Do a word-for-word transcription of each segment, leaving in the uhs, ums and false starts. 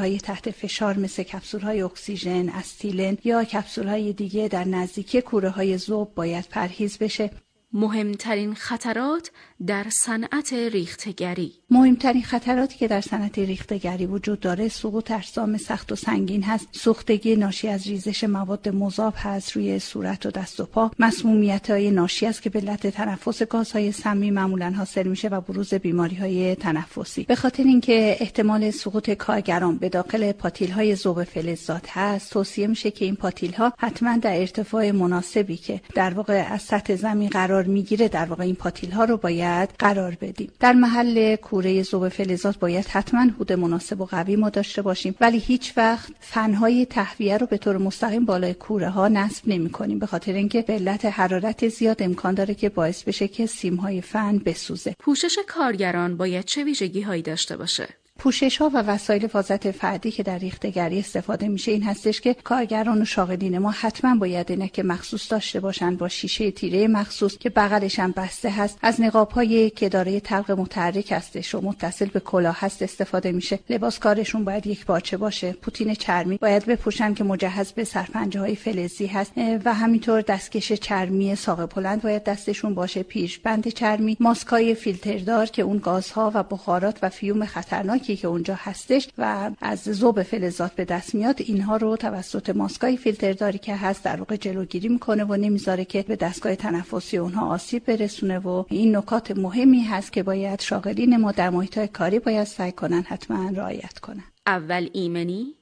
های تحت فشار مثل کپسول های اکسیژن، استیلن یا کپسول های دیگه در نزدیکی کوره های ذوب باید پرهیز بشه. مهمترین خطرات در صنعت ریختگری. مهمترین خطراتی که در صنعت ریختگری وجود داره سقوط اجسام سخت و سنگین هست، سوختگی ناشی از ریزش مواد مذاب هست روی صورت و دست و پا، مسمومیت‌های ناشی از که به علت تنفس گازهای سمی معمولاً حاصل میشه و بروز بیماری‌های تنفسی. به خاطر اینکه احتمال سقوط کارگران به داخل پاتیل‌های ذوب فلزات هست، توصیه میشه که این پاتیل‌ها حتما در ارتفاع مناسبی که در واقع از سطح زمین قرار میگیره در واقع این پاتیل‌ها رو باید قرار بدیم. در محل کوره ذوب فلزات باید حتما حوض مناسب و قوی ما داشته باشیم، ولی هیچ وقت فن‌های تهویه رو به طور مستقیم بالای کوره ها نصب نمی‌کنیم، به خاطر اینکه به علت حرارت زیاد امکان داره که باعث بشه که سیم‌های فن بسوزه. پوشش کارگران باید چه ویژگی‌هایی داشته باشه؟ پوشش‌ها و وسایل حفاظت فردی که در ریختگری استفاده میشه این هستش که کارگران و شاغلین ما حتما باید عینک مخصوص داشته باشن با شیشه تیره مخصوص که بغلش هم بسته هست. از نقاب‌هایی که دارای طلق متحرک هستش و متصل به کلاه هست استفاده میشه. لباس کارشون باید یک پارچه باشه. پوتین چرمی باید بپوشن که مجهز به سرپنجه‌های فلزی هست و همینطور دستکش چرمی ساق بلند باید دستشون باشه، پیشبند چرمی، ماسکای فیلتردار که اون گازها و بخارات و فیوم خطرناکی که اونجا هستش و از ذوب فلزات به دست میاد، اینها رو توسط ماسکای فیلترداری که هست در واقع جلوگیری میکنه و نمیذاره که به دستگاه تنفسی اونها آسیب برسونه و این نکات مهمی هست که باید شاغلین ما در محیط‌های کاری باید سعی کنن حتما رعایت کنن. اول ایمنی،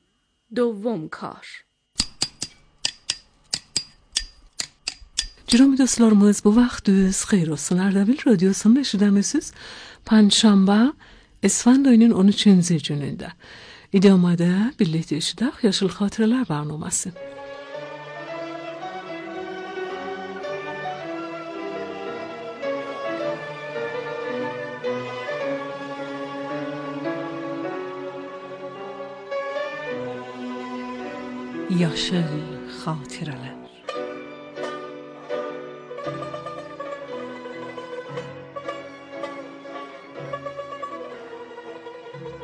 دوم kar. Cürüm dostlarımız, bu vaxtınız xeyir olsun. Ardabil Radyosu'nun eşidəmisiz Panşamba Esfand ayının on üçüncü günündə. İdamada birlikte eşidək Yaşıl Xatirələr proqramı. Yaşıl Xatirələr.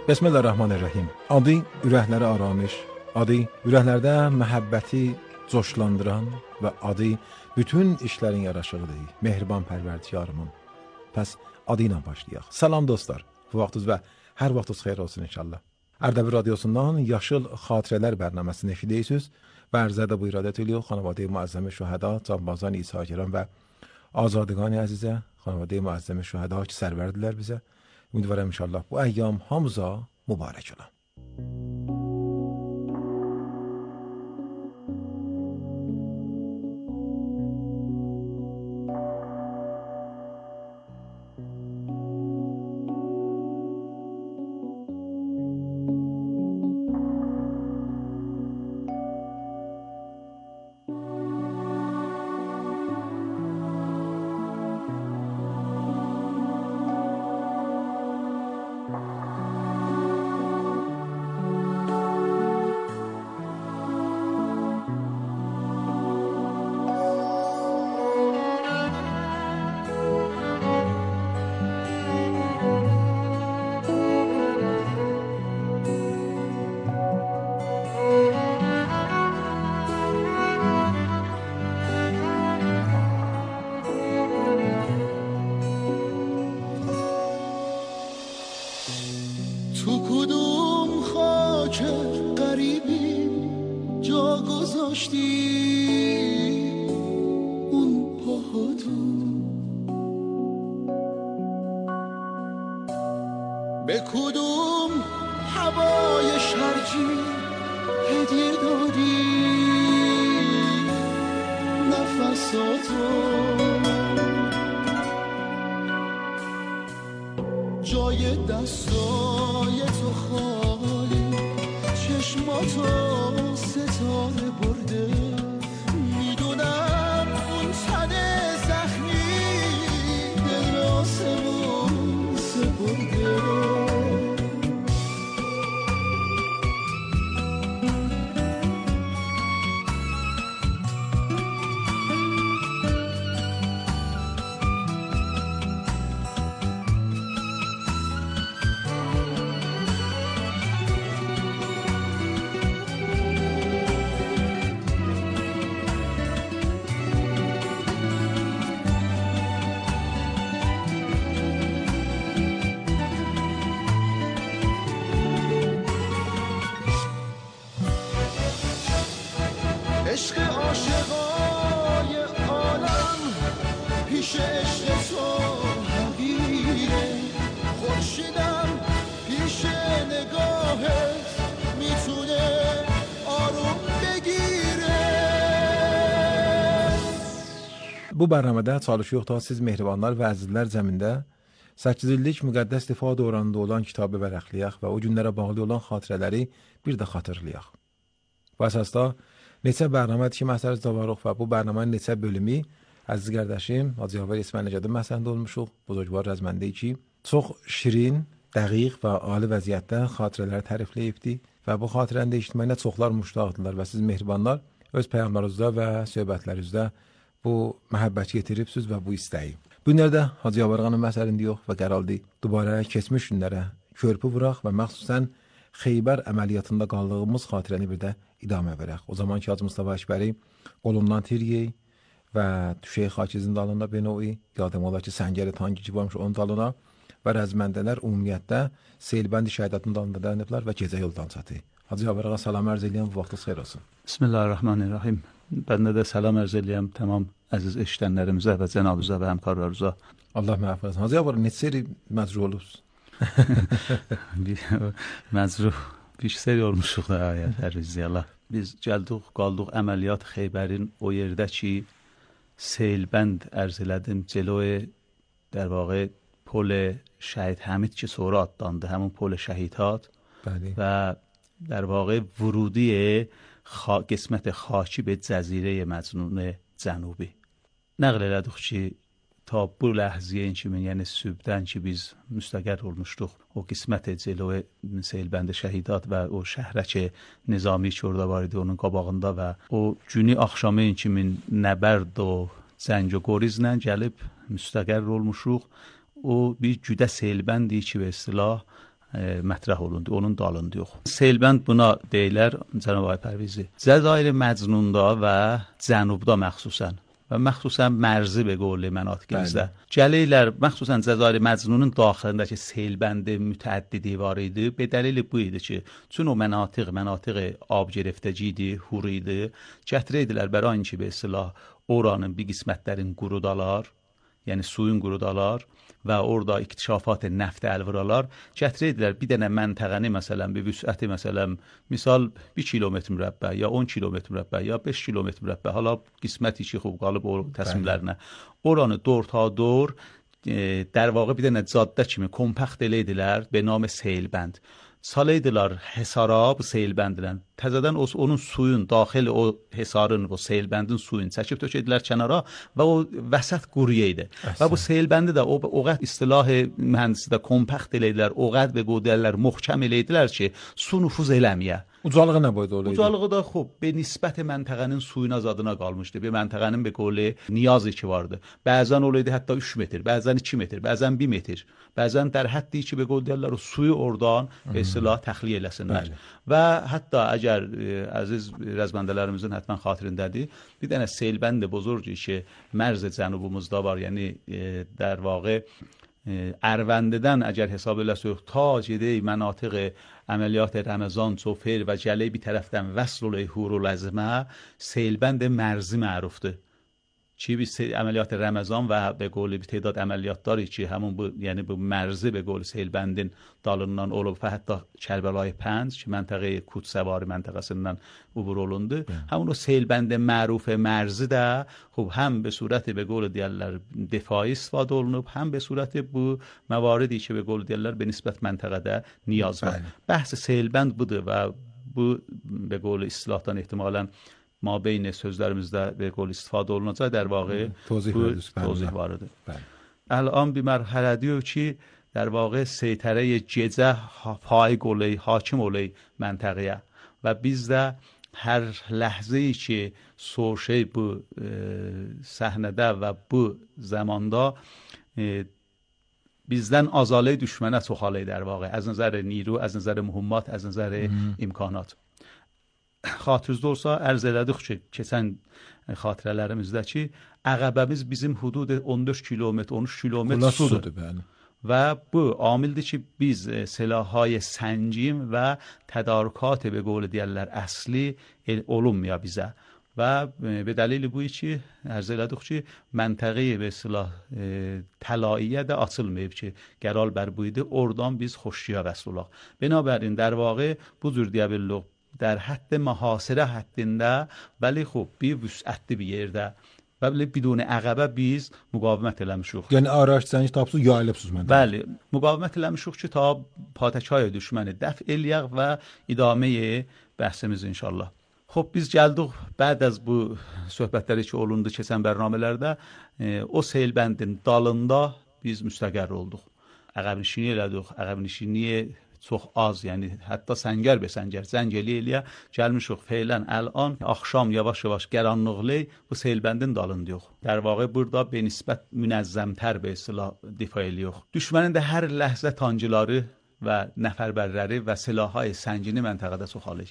Bismillahirrahmanirrahim. Adı ürəklərə aramış, adı ürəklərdə məhəbbəti coşlandıran və adı bütün işlərin yaraşığıdır. Mehriban pərverdigarımın. Pəs adı ilə başlayaq. Salam dostlar. Bu vaxtınız və hər vaxtınız xeyir olsun inşallah. Ardabil Radyosu'ndan Yaşıl Xatirələr bərnaməsini eşidirsiniz və ərzədə bu iradət ediyor xanavadə muazzam şühəda, canbazan İsa'girən və azadگان əzizə, xanavadə muazzam şühəda ki sərvərdilər bizə. امیدوارم انشالله bu ایام hamıza mübarək ola. به کدوم هوای شرجی هدیه دادی نفساتو جای دستای تو خالی چشماتو ستاره برده میدونم اون تنه زخمی دل آسمون سپرده که عشق تو حقیره، خورشیدم پیش نگاهت میتونه آروم بگیره. Bu bərnamədə çalışıyoruq siz mehribanlar və əzizlər zəmində səkkiz illik müqəddəs difa dövründə olan kitabı vərəqləyək və o günlərə bağlı olan xatirələri bir də xatırlayaq. Bu əsasda neçə bərnamədir ki, məsələdə varıq və bu bərnamənin neçə bölümü əziz qardaşım Hacı Yavər İsmailəcədə məsəlində olmuşuq. Buzurgvar rəzməndə ki, çox şirin, dəqiq və ali vəziyyətdə xatirələri tərifləyibdi və bu xatirənin eşitməyinə çoxlar müştaqdılar və siz mehribanlar öz peyğəmbərlərinizdə və söhbətlərinizdə bu məhəbbəti yetiribsiniz və bu istəyi. Bu günlərdə Hacı Yavərğanın məsəlində yox və qərarlı dubara keçmiş günlərə körpü vuraq və məxsusən Xeybər əməliyyatında qaldığımız xatirəni bir də idamə verək. O zaman ki Hacı Mustafa Əkbəri qolundan tiriyey və düşey xakizin dalında benovi, yadım olar ki səngəri tanki ki varmış onun dalına və rəzməndələr ümumiyyətdə Seyilbəndi şəhidətinin dalında dayanıblar və gecə yoldan çatı. Hacı Yavərğa salam ərz eləyəm, bu vaxtınız xeyir olsun. Bismillahirrahmanirrahim. Ben de selam arz edeyim tamam aziz eşitənlərimizə və cənabınıza və həmkarlarınıza. Allah məhv etsin. Hacı Yavər neçə seri məcruh olubsunuz? Məcruh bir seri olmuşuq da ayət Ərviziyallah. Biz gəldik, qaldıq əməliyyat Xeybərin o yerdə ki Seyilbənd ərz elədim cəloy در واقع پل شهید حمید که sonra adlandı همون پل شهیدات و در واقع ورودی خا... قسمت خاکی به جزیره مجنون جنوبی نقل elədik ki ta bu ləhziyə kimi yəni sübdən ki biz müstəqər olmuşduq o qismət cəloy Seyilbənd şəhidat və o şəhrəki nizami ki orada var idi onun qabağında və o günü axşamı kimi nəbərd o zəng و qorizlə gəlib müstəqər olmuşuq. O bir güdə Seyilbəndi ki və istilah e, mətrəh olundu, onun dalında yox. Seyilbənd buna deyilər Cənab Ay Pərvizi. Cəzair Məcnunda və Cənubda məxsusən və məxsusən mərzi به قول مناطقimizdə gəlirlər, məxsusən Cəzair Məcnunun daxilindəki Seyilbəndi mütəəddidi var idi. Be dəlili bu idi ki, çün o mənatiq, mənatiq ab گرفتگی idi, hur idi. Gətirəydilər bərain ki به istilah oranın bir qismətlərin qurudalar, yəni suyun qurudalar və orada iktişafat neft əlviralar gətirəydilər bir dənə məntəqəni məsələn bir vüsəti məsələn misal bir kilometr mürəbbə ya on kilometr mürəbbə ya beş kilometr mürəbbə hala qisməti ki xub qalıb o təsmirlərinə oranı dor ta dor e, در واقع bir dənə caddə kimi kompakt eləydilər به نام Seyilbənd. Saleydiler hesara bu Seyilbəndlə. Təzədən o, onun suyun, daxil o hesarın, o Seyilbəndin suyun çəkib tökədilər kənara və o vəsət quruyeydi. Və bu Seyilbəndi də o, o qəd istilahı mühəndisi də kompakt eləydilər, o qəd və qodəllər muhkəm eləydilər ki, su nüfuz eləməyə. Ucalığı nə boyda olaydı? Ucalığı da xub, be nisbət məntəqənin suyun azadına qalmışdı. Be məntəqənin be qoli niyazı ki vardı. Bəzən olaydı hətta üç metr, bəzən iki metr, bəzən bir metr. Bəzən در حدی ki be qol deyirlər o suyu oradan به اصطلاح təxliyə eləsinlər. Və hətta əgər e, əziz rəzməndələrimizin həttən xatirindədir, bir dənə Seyilbənd buzurgi ki mərz cənubumuzda var, yəni e, در واقع Ərvəndidən əgər hesab eləsək ta gedək mənatiq əməliyyat Ramazan çofir və gələ bir tərəfdən vəsl olayı hurul əzmə Seyilbənd mərzi mərufdur. چی بی عملیات رمضان و به قول bir تعداد عملیاتları ki همون bu یعنی bu مرزی به قول Seyilbəndin dalından olub və hətta Kərbəlayı Pəncə ki məntəqə Kudsəvari məntəqəsindən ubur olundu. Həmin o Seyilbənd məruf mərzi də xub həm به صورت به قول deyirlər دفاعی istifadə olunub, həm به صورت bu مواردی ki به قول deyirlər به نسبت məntəqədə niyaz var. Bəhs Seyilbənd budur və bu به قول اصطلاحdan ehtimalən ما بین sözlərimizdə به قول استفاده olunacaq در واقع توضیح vardır. الان bir mərhələdəyik ki در واقع سیطره gecə پای قولی حاکم olayı məntəqəyə və biz də hər ləhzəyi ki soşey bu e, səhnədə və bu zamanda e, bizdən azalı düşmənə çoxalı در واقع از نظر نیرو، از نظر مهمات، از نظر imkanat. Xatırınızda olsa ərz elədik ki, keçən xatirələrimizdə ki, əqəbəmiz bizim hudud on dörd kilometr, on üç kilometr sudur. Və bu amildir ki, biz silahهای سنجیم və tədarükat به قول deyirlər əsli olunmuyor bizə. و به دلیل بوی چی ارزلدوق چی منطقه به اصطلاح طلاییه ده açılmayıb ki gəlal bər buydu oradan biz xoşçuya vəsl olaq. Binabərin در واقع bu cür deyə bildik در حد محاصره həddində ولی خب bir vüsətli bir yerdə və belə bidon əqəbə biz müqavimət eləmişik. Yəni araç zəng tapsız yayılıbsınız məndə. Bəli, müqavimət eləmişik ki ta patəkay düşməni dəf eləyək və idamə bəhsimiz inşallah. خب biz gəldik بعد از bu söhbətləri ki olundu keçən bərnamələrdə e, o selbəndin dalında biz müstəqər olduq. Əqəbnişini elədik, əqəbnişini çox az, yəni hətta səngər be səngər zəng eləyə gəlmişik feylən الان axşam yavaş-yavaş qaranlıqlı bu selbəndin dalındayıq. در واقع burada به نسبت منظم‌تر به اصطلاح دفاع eləyirik. Düşmənin də hər ləhzə tancıları və nəfərbərləri və silahهای səngini məntəqədə çoxalır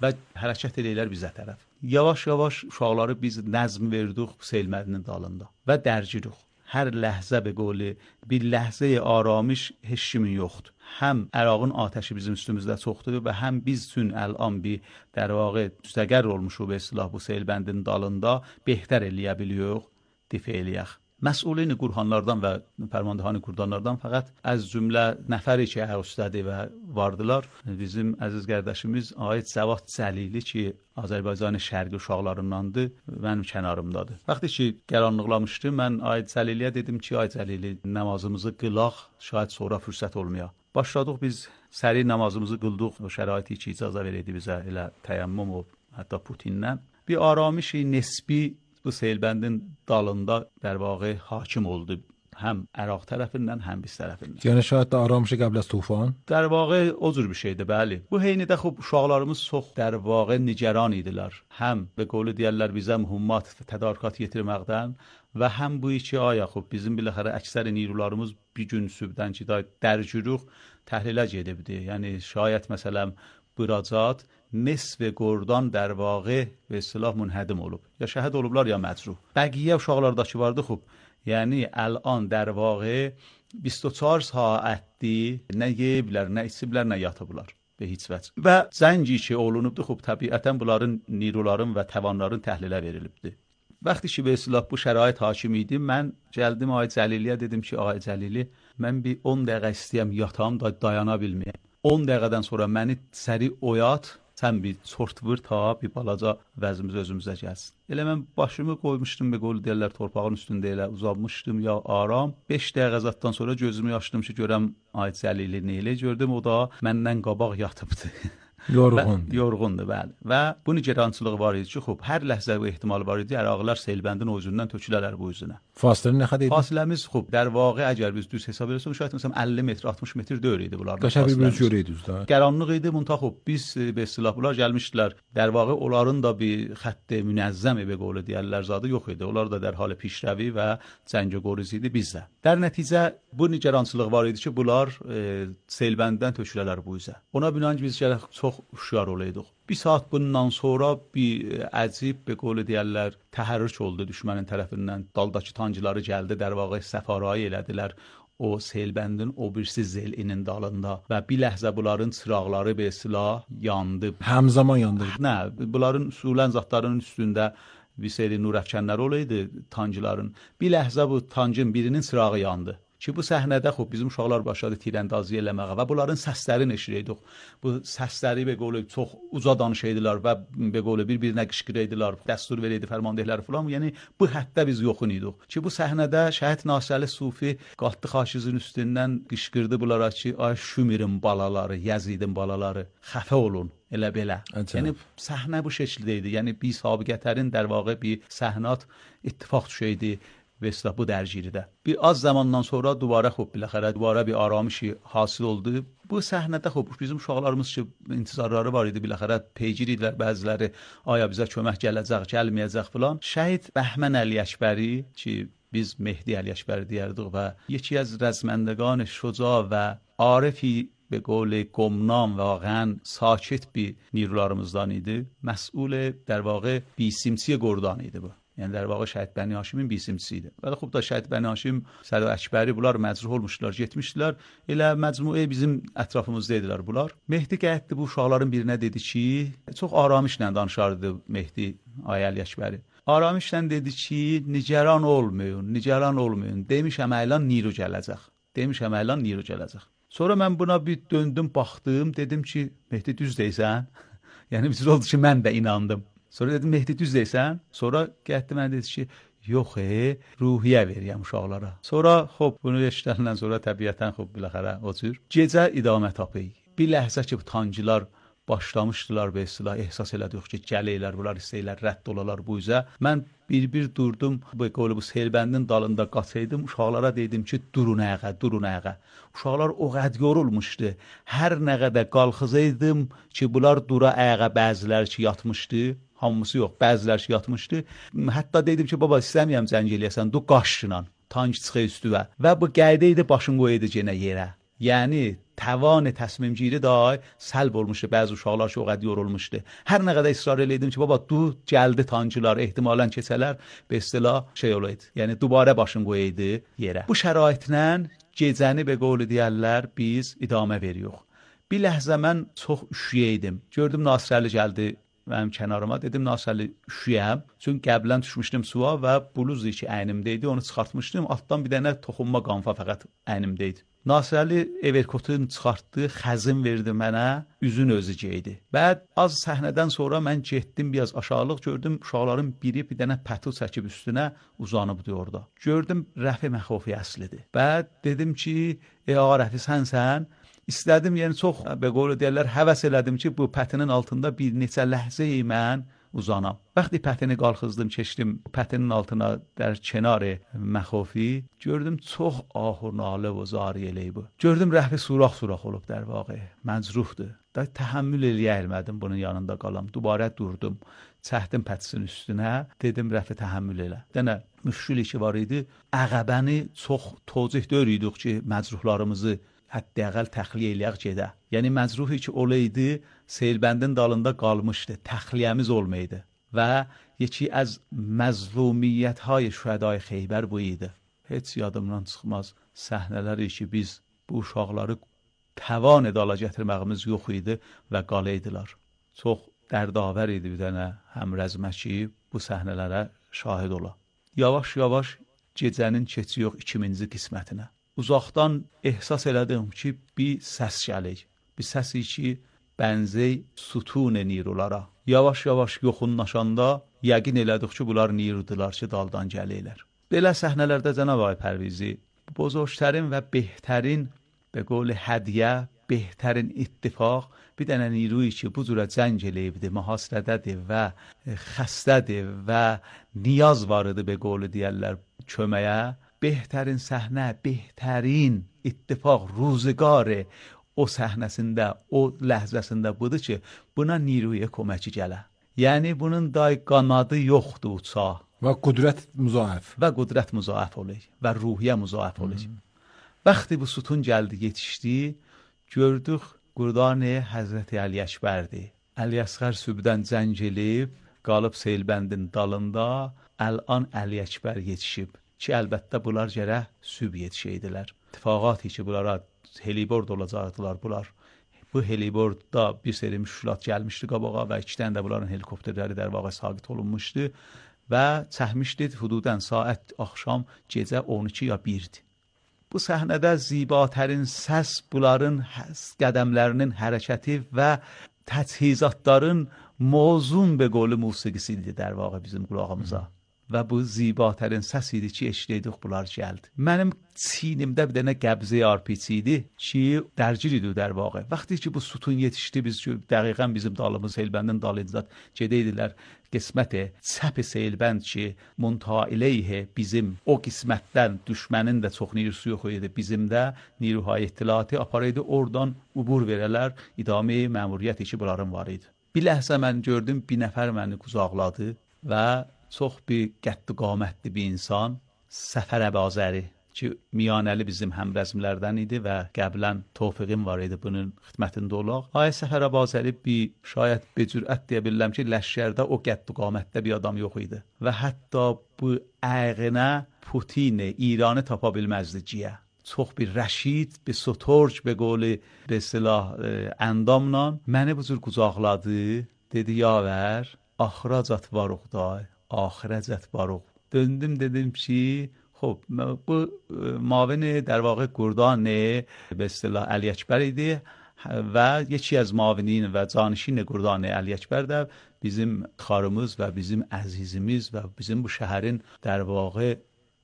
və hərəkət edirlər bizə tərəf. Yavaş-yavaş uşaqları biz nəzm verdik selbəndin dalında və dərcirik. Hər ləhzə به قول bir ləhzə آرامش heç kimin yoxdur. Həm Ərağın atəşi bizim üstümüzdə çoxdur və həm biz üçün الان bir در واقع müstəqər olmuşuq به اصطلاح bu selbəndin dalında behter eləyə biliyoruz, difa eləyək. Məsulin qurhanlardan və fərmandehan qurdanlardan fəqət az cümlə nəfəri ki həustədi və vardılar. Bizim əziz qardaşımız Ayət Cəvad Cəlili ki Azərbaycan şərqi uşaqlarındandır, mənim kənarımdadır. Vaxtı ki qaranlıqlamışdı, mən Ayət Cəliliyə dedim ki, Ayət Cəlili namazımızı qılaq, şayət sonra fürsət olmaya. Başladıq biz səri namazımızı qıldıq, o şəraiti ki icazə verdi bizə elə təyammüm o hətta Putinlə. Bir aramışı nisbi bu selbəndin dalında در واقع hakim oldu. Həm Əraq tərəfindən, həm biz tərəfindən. Yəni şayət də aramışı qəbl az tufan? در واقع o cür bir şeydir, bəli. Bu heynidə xub uşaqlarımız çox در واقع nigaran idilər. Həm به قول deyirlər bizə mühimmat tədarükat yetirməkdən və həm bu iki aya xub bizim biləxərə əksər nirularımız bir gün sübdən ki dərcürük təhlilə gedibdi. Yəni şayət məsələn براجات نصف گردان در واقع به اصطلاح منهدم olub. یا شهید olublar یا مجروح. بقیه uşaqlardakı vardı خوب. یعنی الان در واقع بیست و چهار saatdir nə yeyiblər, nə içiblər, nə yatıblar به هیچ vəch. Və zəngi ki olunubdu خوب təbiətən bunların niruların və təvanların təhlilə verilibdi. Vaxtı ki به اصطلاح bu şərait hakim idi, mən gəldim Ayət Cəliliyə dedim ki, Ayət Cəlili, mən bir on dəqiqə istəyəm yatam da dayana bilməyəm. on dəqiqədən sonra məni səri oyat, sən bir çort vur ta bir balaca vəzimiz özümüzə gəlsin. Elə mən başımı qoymuşdum be qol deyirlər torpağın üstündə elə uzanmışdım ya aram. beş dəqiqə zatdan sonra gözümü açdım ki görəm Ayət Cəlili nə elə gördüm, o da məndən qabaq yatıbdı. Yorğun. Yorğundur, bəli. Və bu nigerançılığı var idi ki, xub, hər ləhzə və ehtimal var idi, Əraqlar selbəndin o üzündən tökülərlər bu üzünə. Fasilə nə qədər idi? Fasiləmiz xub, در واقع əgər biz düz hesab etsək, şayət məsələn əlli metr, altmış metr döyür idi bunlar. Qəşəng bir bölgə idi düzdür. Qaranlıq idi, munta xub, biz be istilah bunlar gəlmişdilər. در واقع onların da bir xətt münəzzəm be qolu deyirlər zadı yox idi. Onlar da در حال پیشروی və cəngəgoriz idi bizdə. در nəticə bu nigerançılıq var idi ki, bunlar e, selbənddən tökülərlər bu üzə. Ona binaən biz gərək çox uşaq olaydıq. Bir saat bundan sonra bir əcib be qolu deyirlər təhərrük oldu düşmənin tərəfindən. Daldakı tancıları gəldi, در واقع səfarayı elədilər o selbəndin o birisi zelinin dalında və bir ləhzə bunların çıraqları be silah yandı. Həmzaman yandı. Nə, bunların usulən zatların üstündə bir seri nurəfkənlər olaydı tancıların. Bir ləhzə bu tancın birinin çırağı yandı. Ki bu səhnədə xub bizim uşaqlar başladı tirəndazı eləməyə və bunların səslərini eşidirdik. Bu səsləri be qolu çox uca danışırdılar və be qolu bir-birinə qışqırırdılar, dəstur verirdi fərmandehlər falan. Yəni bu həddə biz yoxun idik. Ki bu səhnədə Şəhid Nasirəli Sufi qalxdı xaşizin üstündən qışqırdı bunlara ki, ay Şümirin balaları, Yazidin balaları, xəfə olun. Elə belə. Əcəb. Yəni səhnə bu şəkildə idi. Yəni bir sabiqətərin در واقع bir səhnat ittifaq düşəydi. ve اصطلاح bu درگیریdə. Bir az zamandan sonra duvara xub biləxərə duvara bir aramışı hasil oldu. Bu səhnədə xub bizim uşaqlarımız ki intizarları var idi biləxərə peygir idilər bəziləri aya bizə kömək gələcək, gəlməyəcək filan. Şəhid Bəhmən Əli Əkbəri ki biz Mehdi Əli Əkbəri deyərdik və یکی از رزمندگان شجاع و عارفی به قول گمنام واقعا ساکت bir نیروlarımızdan idi. Məsul در واقع بیسیمسی گردان idi bu. یعنی در واقع şəhid Bəni Haşimin bisimçisi idi. Bəli, xub da şəhid Bəni Haşim, Sədo Əkbəri bunlar məcruh olmuşdular, getmişdilər. Elə məcmuə bizim ətrafımızda idilər bunlar. Mehdi gəldi bu uşaqların birinə dedi ki, çox aramışla danışardı Mehdi Ayəli Əkbəri. Aramışla dedi ki, nigaran olmayın, nigaran olmayın. Demişəm əlan Niro gələcək. Demişəm əlan Niro gələcək. Sonra mən buna bir döndüm, baxdım, dedim ki, Mehdi düz deyirsən. Yəni bir oldu ki, mən də inandım. Sonra dedim, Mehdi düz deyirsən. Sonra gəldi mən dedi ki, yox, e, ruhiyyə veriyəm uşaqlara. Sonra, xop, bunu eşidəndən sonra təbiətən, xop, biləxərə, o cür. Gecə idamə tapıyı. Bir ləhzə ki, bu tancılar başlamışdılar və istilah ehsas elədik ki, gələylər, bunlar istəyirlər, rədd olalar bu üzə. Mən bir-bir durdum, bu qolu bu selbəndin dalında qaçaydım, uşaqlara dedim ki, durun ayağa, durun ayağa. Uşaqlar o qəd yorulmuşdu. Hər nə qədər qalxızaydım ki, bunlar dura ayağa, bəzilər ki, yatmışdı. Hamısı yox, bəzilər ki, yatmışdı. Hətta dedim ki, baba, istəməyəm zəng eləyəsən, du qaşla, tank çıxı üstüvə. Və bu qayda idi, başın qoydu yenə yerə. Yəni توان تصمیم گیری دای سلب olmuşdu. Bəzi uşaqlar ki, o qədər yorulmuşdu. Hər nə qədər israr elədim ki, baba, du gəldi tancılar, ehtimalən keçələr, be istilah şey olaydı. Yəni dubara başın qoyaydı yerə. Bu şəraitlə gecəni be qovlu deyərlər, biz idamə veriyoruz. Bir ləhzə mən çox üşüyəydim. Gördüm Nasirəli gəldi mənim kənarıma. Dedim, Nasirəli, üşüyəm. Çünki qəblən düşmüşdüm suya və bluz ki əynimdəydi. Onu çıxartmışdım. Altdan bir dənə toxunma qanfa fəqət əynimdəydi. Nasirəli everkotunu çıxartdı, xəzin verdi mənə, üzün özü geydi. Bəd az səhnədən sonra mən getdim, biraz aşağılıq gördüm, uşaqların biri bir dənə pətu çəkib üstünə uzanıbdı orada. Gördüm, Rəfi Məxofi əslidir. Bəd dedim ki, ey ağa Rəfi, sənsən? İstədim, yəni çox, be qolu deyərlər, həvəs elədim ki, bu pətinin altında bir neçə ləhzəyi mən uzanam. Vəqti pətini qalxızdım, keçdim pətinin altına در کنار مخافی gördüm çox ahur nalə و zari eləy bu. Gördüm Rəfi surax-surax olub در واقع. Məcruhdur. Da təhəmmül eləyə bilmədim bunun yanında qalam. Dubarə durdum. Çəkdim pətisin üstünə. Dedim Rəfi təhəmmül elə. Dənə müşküli ki var idi. Əqəbəni çox tozih dörüydük ki məcruhlarımızı hətta-əqəl təxliyə eləyək gedə. Yəni məcruhi ki olaydı, Selbəndin dalında qalmışdı. Təxliyəmiz olmaydı. Və yeki az məzlumiyyət-های şühədای Xeybər bu idi. Heç yadımdan çıxmaz səhnələri ki biz bu uşaqları təvan edala gətirməyimiz yox idi və qalıydılar. Çox dərdavər idi bir dənə həmrəzmə ki bu səhnələrə şahid ola. Yavaş-yavaş gecənin keçiyor ikinci qismətinə. Uzaqdan ehsas elədim ki bir səs gəlir. Bir səsi ki bənzey sütun nirulara. Yavaş-yavaş yoxunlaşanda yəqin elədik ki, bunlar nirdular ki, daldan gəlirlər. Belə səhnələrdə Cənab Ağay Pərvizi, bozorgtərin və behtərin, be qol hədiyə, behtərin ittifaq, bir dənə niruyi ki, bu cürə cəng eləyibdir, mühasirədədir və xəstədir və niyaz var idi, be qolu deyərlər, köməyə. Behtərin səhnə, behtərin ittifaq, ruziqarı, o səhnəsində, o ləhzəsində budur ki, buna niruyə köməki gələ. Yəni bunun day qanadı yoxdur uça. Və qudrət müzaəf. Və qudrət müzaəf olur və ruhiyyə müzaəf olur. Vaxtı bu sütun gəldi, yetişdi, gördük Qurdan-ı Həzrəti Əli Əkbərdir. Əli Əsğər sübdən cəng eləyib, qalıb Selbəndin dalında, əlan Əli Əkbər yetişib ki, əlbəttə bunlar gərək süb yetişəydilər. İttifaqat ki, bunlara helibord olacaqdılar bunlar. Bu helibordda bir seri müşkilat gəlmişdi qabağa və iki dənə də bunların helikopterləri در واقع sabit olunmuşdu və çəkmişdi hududən saat axşam gecə on iki ya birdir. Bu səhnədə zibatərin səs bunların qədəmlərinin hərəkəti və təchizatların mozun be qolu musiqisi idi در واقع bizim qulağımıza. Və bu zibatərin səs idi ki, eşitdik bunlar gəldi. Mənim çiynimdə bir dənə qəbzə arpiçi idi ki, dərgir idi در واقع. Vaxtı ki bu sütun yetişdi, biz dəqiqən bizim dalımız Selbəndin dalınca gedeydilər. Qismət çəp Selbənd ki, muntaha ileyh bizim o qismətdən düşmənin də çox nirusu yox idi. Bizim də niruhay ittilaatı aparaydı, oradan ubur verələr, idame məmuriyyəti ki bunların var idi. Bir ləhzə mən gördüm, bir nəfər məni qucaqladı və çox bir qədd qamətli bir insan, Səfər Əbazəri, ki Miyanəli bizim həmrəzmlərdən idi və qəblən Tofiqim var idi bunun xidmətində olaq. Ay Səfər Abazəli bir şayət bir cürət deyə bilirəm ki, ləşkərdə o qədd qamətdə bir adam yox idi və hətta bu əğinə Putin İranı tapa bilməzdi ciyə. Çox bir rəşid, bir sotorc be qoli be silah əndamla məni bu cür qucaqladı, dedi yavər, axıracat varıq day, axirəcət varıq. Döndüm dedim ki خب bu معاون در واقع گردان به اصطلاح علی اکبر idi və یکی از معاونین və canişin گردان علی اکبر də bizim xarımız və bizim əzizimiz və bizim bu şəhərin در واقع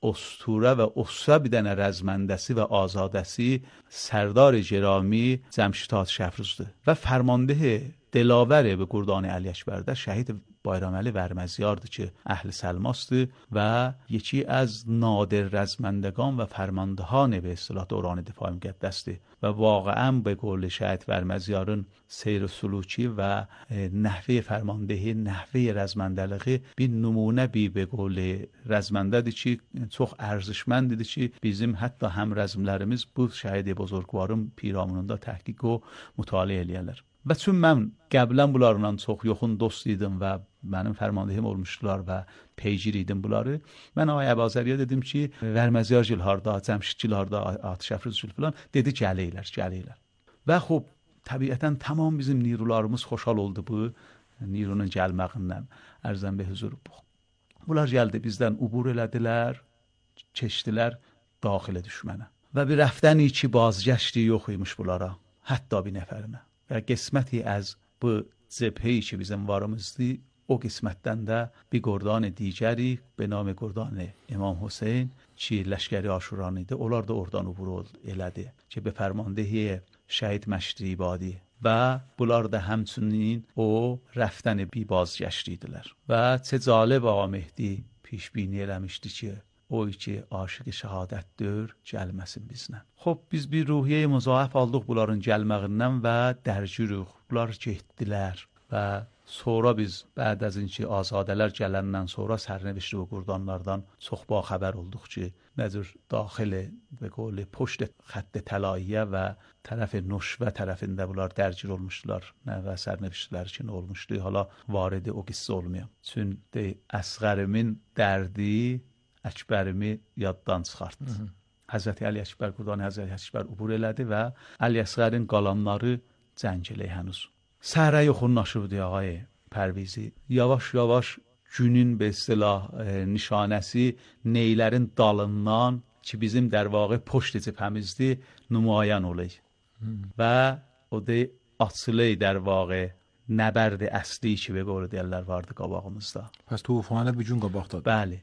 اسطوره و اسطوره bir dənə rəzməndəsi və azadəsi سردار جرامی جمشید شفروزdur və فرمانده دلاور به گردان علی اکبر də şəhid بایرامعلی ورمزیاردی که اهل سلماست و یکی از نادر رزمندگان و فرماندهان به اصطلاح دوران دفاع مقدستی و واقعا به قول شهید ورمزیارın سیر سلوکی و نحوه فرماندهی نحوه رزمندلقی bir نمونه بی به قول رزمندهdir ki çox ارزشمندdir ki bizim hətta həm rəzmlərimiz bu şəhid buzurgvarın piramidində təhqiq و مطالعه eləyirlər. Və çün mən qəblən bunlarla çox yoxun dost idim və mənim fərmandehim olmuşdular və peycir idim bunları. Mən Ağay Əbazəliyə dedim ki, Vərməziyar gil harda, Cəmşid gil harda, Atış Əfruz gil filan, dedi gələylər, gələylər. Və xub, təbiətən tamam bizim nirularımız xoşal oldu bu nirunun gəlməqindən. Ərzən be huzur bu. Bunlar gəldi bizdən ubur elədilər, keçdilər daxilə düşmənə. Və bir rəftəni ki bazgəşti yox imiş bunlara, hətta bir nəfərinə. Və qisməti az bu cəbhəyi ki bizim varımızdı, o qismətdən də bir qordان دیگری به نام قردان امام حسین ki لشکری آشوران idi. Onlar da oradan ubur elədi ki به فرماندهی şəhid Məşri İbadi və bunlar da həmçinin o rəftəni bir bazgəşti idilər. Və çə cəlib Ağa Mehdi پیشبینی eləmişdi ki o ki aşiq şəhadətdir, gəlməsin bizlə. Xop biz bir ruhiyyə müzaif aldıq bunların gəlməğindən və dərcürük. Bunlar getdilər və sonra biz بعد از اینکه azadələr gələndən sonra sərnişin və qurdanlardan çox ba xəbər olduq ki, necür daxil به قول پشت خط طلاییه və tərəf Nuşvə tərəfində bunlar dərcir olmuşdular. Nə və sərnişinlər üçün olmuşdu. Hala varidi o qissə olmuyor. Çünki əsğərimin dərdi Əkbərimi yaddan çıxartdı. Həzrəti Əli Əkbər qurdan Həzrəti Əkbər ubur elədi və Əli Əsğərin qalanları cəng eləyə hənuz. Səhərə yoxunlaşırdı Ağay Pərvizi. Yavaş yavaş günün به اصطلاح nişanəsi neylərin dalından ki bizim در واقع پشت cəbhəmizdi nümayan olay. Və o da açılay در واقع nəbərd əsli ki به قول deyirlər vardı qabağımızda. Pəs tufanə bir gün qabaqdadır. Bəli.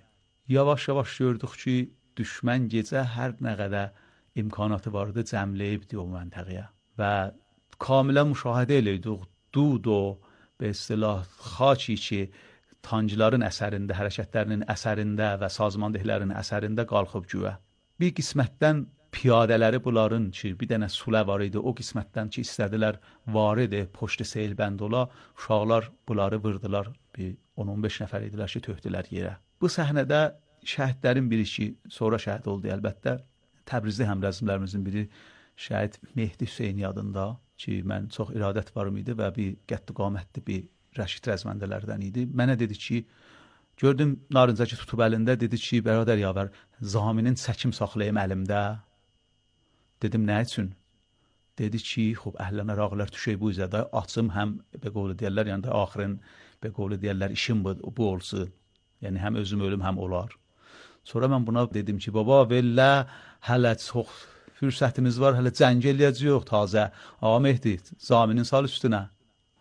Yavaş yavaş gördük ki düşmən gecə hər nə qədər imkanatı vardı cəmləyibdi o məntəqəyə və kamilə müşahidə elədik. Dud o به اصطلاح xaçi ki tancıların əsərində, hərəkətlərinin əsərində və sazmandehlərin əsərində qalxıb güyə. Bir qismətdən piyadələri bunların ki, bir dənə sulə var idi, o qismətdən ki, istədilər varidi, poştu seyilbənd ola, uşaqlar bunları vırdılar, bir on on beş nəfər idilər ki, töhdülər yerə. Bu səhnədə şəhidlərin biri ki, sonra şəhid oldu əlbəttə, Təbrizli həmrəzmlərimizin biri şəhid Mehdi Hüseyni adında ki, mən çox iradət varım idi və bir qədd qamətli bir rəşid rəzməndələrdən idi. Mənə dedi ki, gördüm narıncakı tutub əlində, dedi ki, bərədər yavər, zaminin çəkim saxlayım əlimdə. Dedim, nə üçün? Dedi ki, xub, əhləna rağlar tüşey bu izədə, açım həm, be qovlu deyərlər, yəni də axırın, be qovlu deyərlər, işim bu, bu olsun. Yəni, həm özüm ölüm, həm olar. Sonra mən buna dedim ki, baba, vellə, hələ çox fürsətimiz var, hələ cəng eləyəcəyik tazə. Ağa Mehdi, zaminin sal üstünə.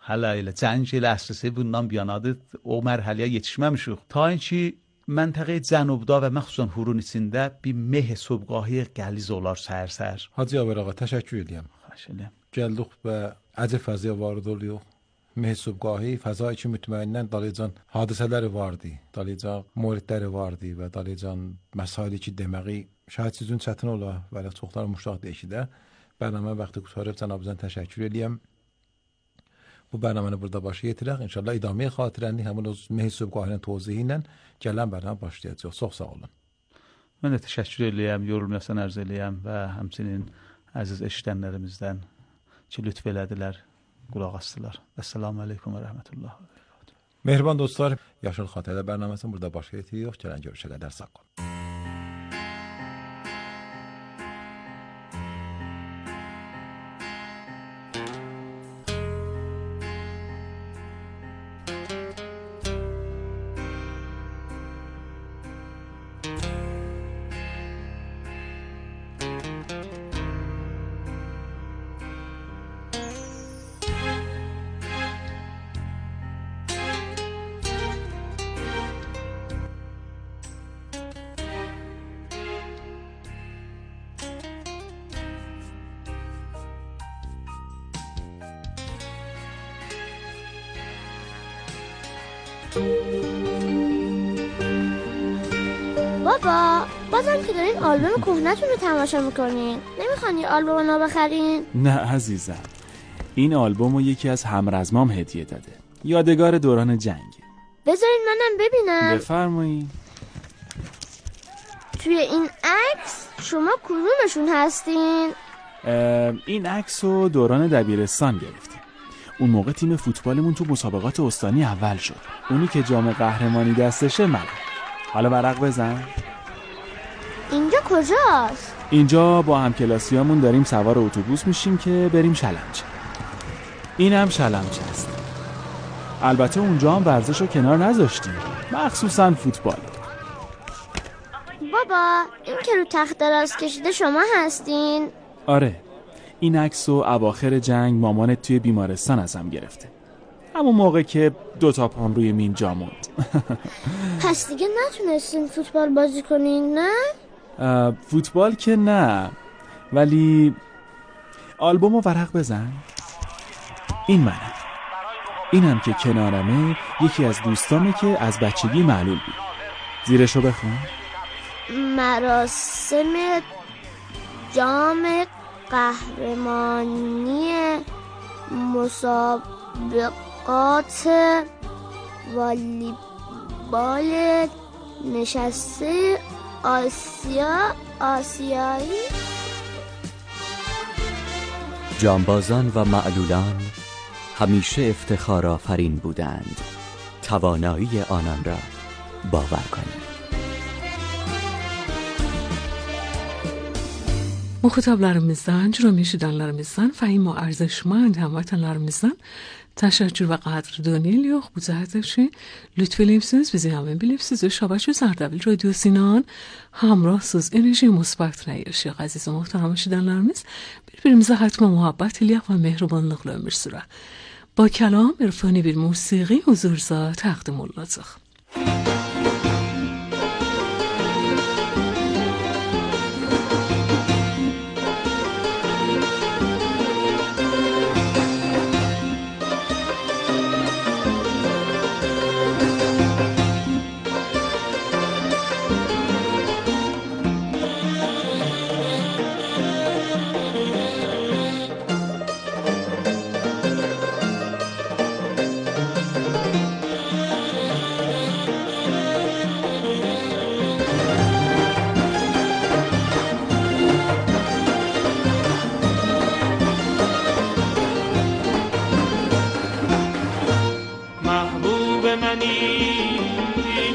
Hələ elə cəng elə əslisi bundan biyanadır, o mərhələyə yetişməmişik. Ta ki, məntəqə cənubda və məxsusən Hurun içində bir meh sobqahı qəliz olar səhər-səhər. Hacı Yavər ağa, təşəkkür edirəm. Xahiş edirəm. Gəldik və əcəb fəziyə varid oluyor. Meh sobqahı, fəza ki mütməindən dalıcan hadisələri vardı, dalıcan moridləri vardı və dalıcan məsaili ki deməyi şahid sizin çətin ola və çoxlar müştaq deyişidə. Bərnamə vaxtı qutarıb cənabınızdan təşəkkür edirəm. Bu bərnaməni burada başa yetirək. İnşallah idamə xatirəni həmin o meh sobqahının tozyihi ilə gələn bərnamə başlayacaq. Çox sağ olun. Mən də təşəkkür eləyəm, yorulmayasan arz eləyəm və həmçinin əziz eşidənlərimizdən ki, lütf elədilər, qulaq asdılar. Əssalamu aleykum və rəhmətullah. Mehriban dostlar, Yaşıl Xatirələr bərnaməsini burada başa yetiririk. Gələn görüşə qədər sağ olun. بابا بازم که دارین آلبوم کهنه‌تون رو تماشا میکنین، نمیخوان یه آلبوم نو بخرین؟ نه عزیزم، این آلبوم رو یکی از همرزمام هدیه داده، یادگار دوران جنگ. بذارین منم ببینم. بفرمایید. توی این عکس شما کدومشون هستین؟ این عکس رو دوران دبیرستان گرفتیم. اون موقع تیم فوتبالمون تو مسابقات استانی اول شد. اونی که جام قهرمانی دستشه من. حالا ورق بزن. اینجا کجاست؟ اینجا با همکلاسیامون داریم سوار اتوبوس میشیم که بریم شلمچه. اینم شلمچه است. البته اونجا هم ورزش رو کنار نذاشتیم، مخصوصا فوتبال. بابا این که رو تخت دراز کشیده شما هستین؟ آره، این عکس رو اواخر جنگ مامانت توی بیمارستان ازم گرفته، همون موقع که دوتا پام روی مین جا موند. پس دیگه نتونستین فوتبال بازی کنین نه؟ فوتبال که نه، ولی آلبوم رو ورق بزن. این منم، اینم که کنارمه یکی از دوستامه که از بچگی معلول بود. زیرشو بخون. مراسم جام قهرمانی مسابقات والیبال نشسته آسیا آسیایی. جانبازان و معلولان همیشه افتخار آفرین بودند. توانایی آنان را باور کنید. Muxatablarımızdan, cürüm eşidənlərimizdən, fəhim və ərzəşmən həmvətənlərimizdən təşəkkür və qədrdoni eləyox. Bu cəhətdə ki, lütf eləyibsiniz, bizi həmin bilibsiniz və Şəbəkə Zərdəbil Radiosu ilə həmrahsız, enerji müsbət yaşayaq. Əziz və möhtərəm eşidənlərimiz, bir-birimizə hətmə muhabbət eləyək və mehribanlıqla ömür sürək. Ba kəlam, irfani bir musiqi huzurunuza təqdim olunacaq.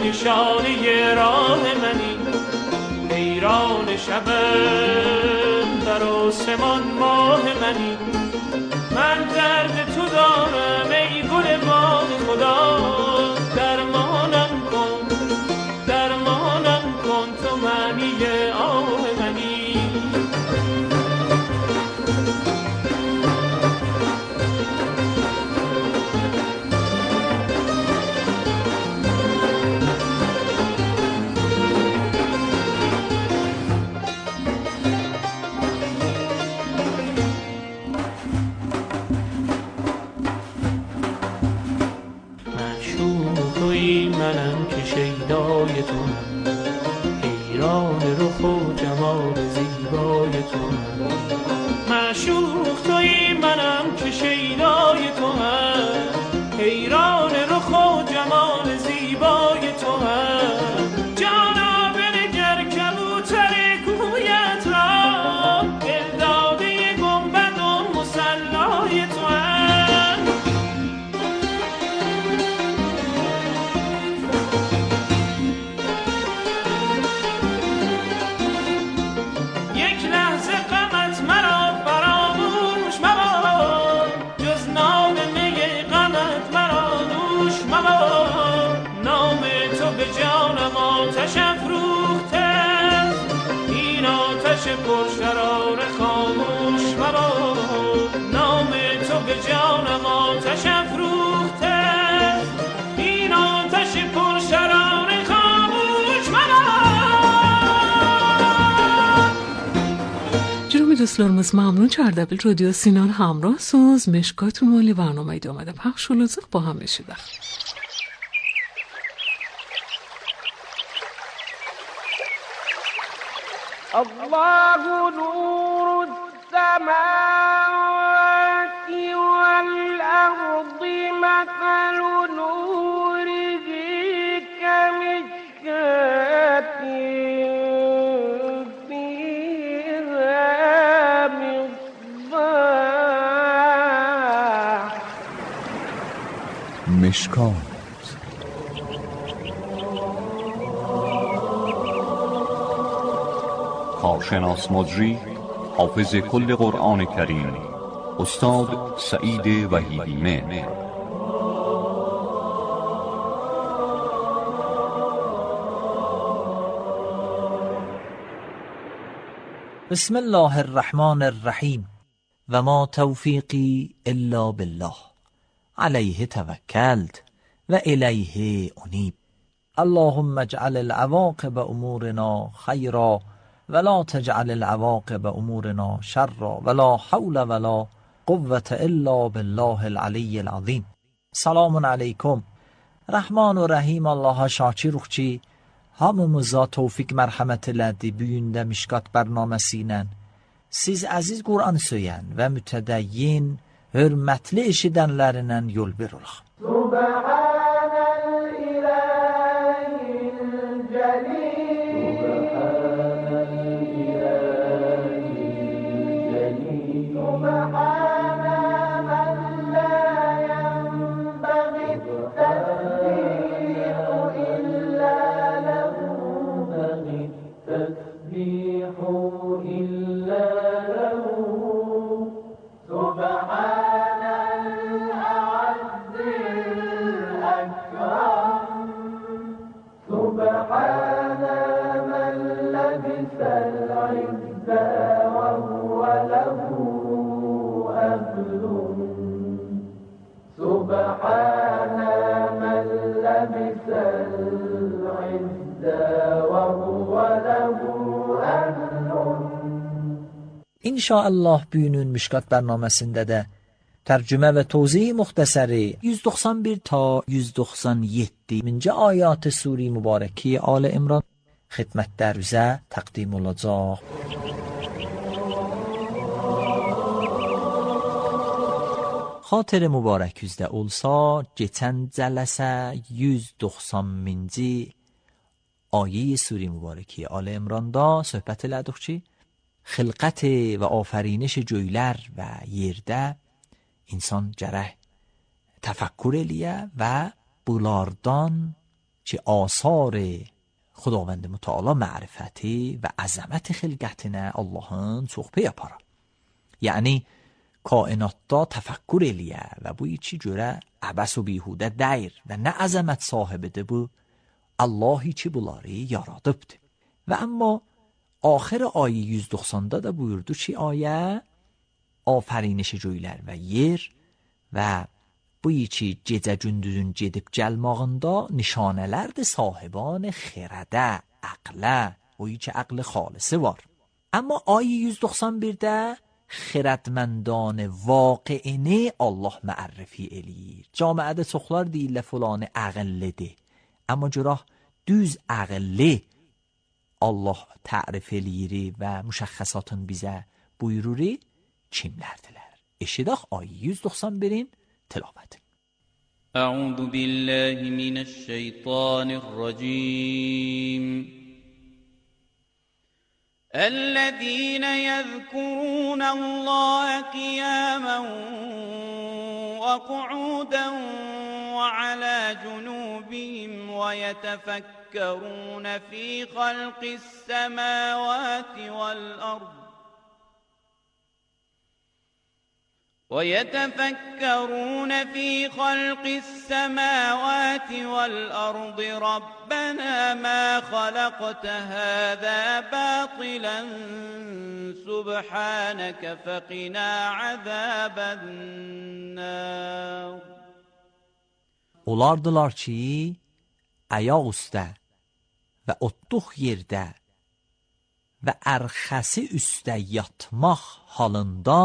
نشانه راه منی، حیران شب در آسمان ماه منی. من درد تو دارم ای گل باغ خدا، درمانم کن درمانم کن تو معنی آه منی. منم که شیدای تو، حیران رخ و جمال زیبای تو. معشوق تویی منم که شیدای تو هم، حیران رخ و جمال زیبای تو هم. جانا بنگر کبوت dostlarımız ممنون که اردبیل رادیو سینان همراه سوز مشکاتون مالی برنامه ایده آمده پخش و لازق با هم بشیده. الله نور السماوات والأرض مثل نوره كمشكاة فيها مصباح مشکات کارشناس مجری حافظ کل قرآن کریم استاد سعید وحیدی مهر. بسم الله الرحمن الرحیم و ما توفیقی الا بالله علیه توکلت و الیه انیب. اللهم اجعل العواقب امورنا خیرا ولا تجعل العواقب امورنا شرا ولا حول ولا قوة الا بالله العلی العظیم. سلام علیکم. Rahman və Rəhim Allaha şakiruq ki, hamımıza tevfik mərhəmət elədi bu gündə Mişkat bərnaməsi ilə. Siz əziz Qur'an söyən və mütədəyyin, hörmətli eşidənlərindən yol ver olaq. Subhanəl ilahil cəlil İnşallah bugünün Mişkat bərnaməsində də tərcümə və tozih müxtəsəri yüz doxsan bir ta yüz doxsan yeddi-ci ayat Sure Mübarəki Ali İmran xidmətlərinizə təqdim olacaq. Xatir mübarək üzdə olsa, keçən cələsə yüz doxsanıncı ayə Sure Mübarəki Ali İmranda söhbət elədik ki, xilqət və afəriniş göylər və yerdə insan gərək təfəkkür eləyə və bunlardan ki, asar Xudavənd Mütəala mərifəti və əzəmət xilqətinə Allahın çox pey apara. Yəni, kainatda təfəkkür eləyə və bu içi görə əbəs و بیهوده dəyir və nə əzəmət sahibidir bu, Allahi ki, bunları yaradıbdır. Və amma آخر آیه yüz doxsanda da buyurdu ki, ayə afəriniş göylər və yer və bu iki gecə gündüzün gedib gəlmağında nişanələrdir sahiban xirədə, əqlə, o iki əql xalisi var. Amma آیه yüz doxsan birdə xirədməndان واقعینی Allah mərrifi eləyir. Camiədə çoxlar deyirlər filanı əqillidir. Amma görək düz əqilli Allah tərif eləyiri və müşəxxəsatın bizə buyururi kimlərdilər? Eşidək ayı yüz doxsan birin tilavəti. Əuzu billahi minəşşeytanirracim. الذين يذكرون الله قياما وقعودا وعلى جنوبهم ويتفكرون في خلق السماوات والأرض ويتفكرون في خلق السماوات والأرض ربنا ما خلقت هذا باطلا سبحانك فقنا عذاب النار. Olardılar ki, ayaq üstə və otluq yerdə və ərxəsi üstə yatmaq halında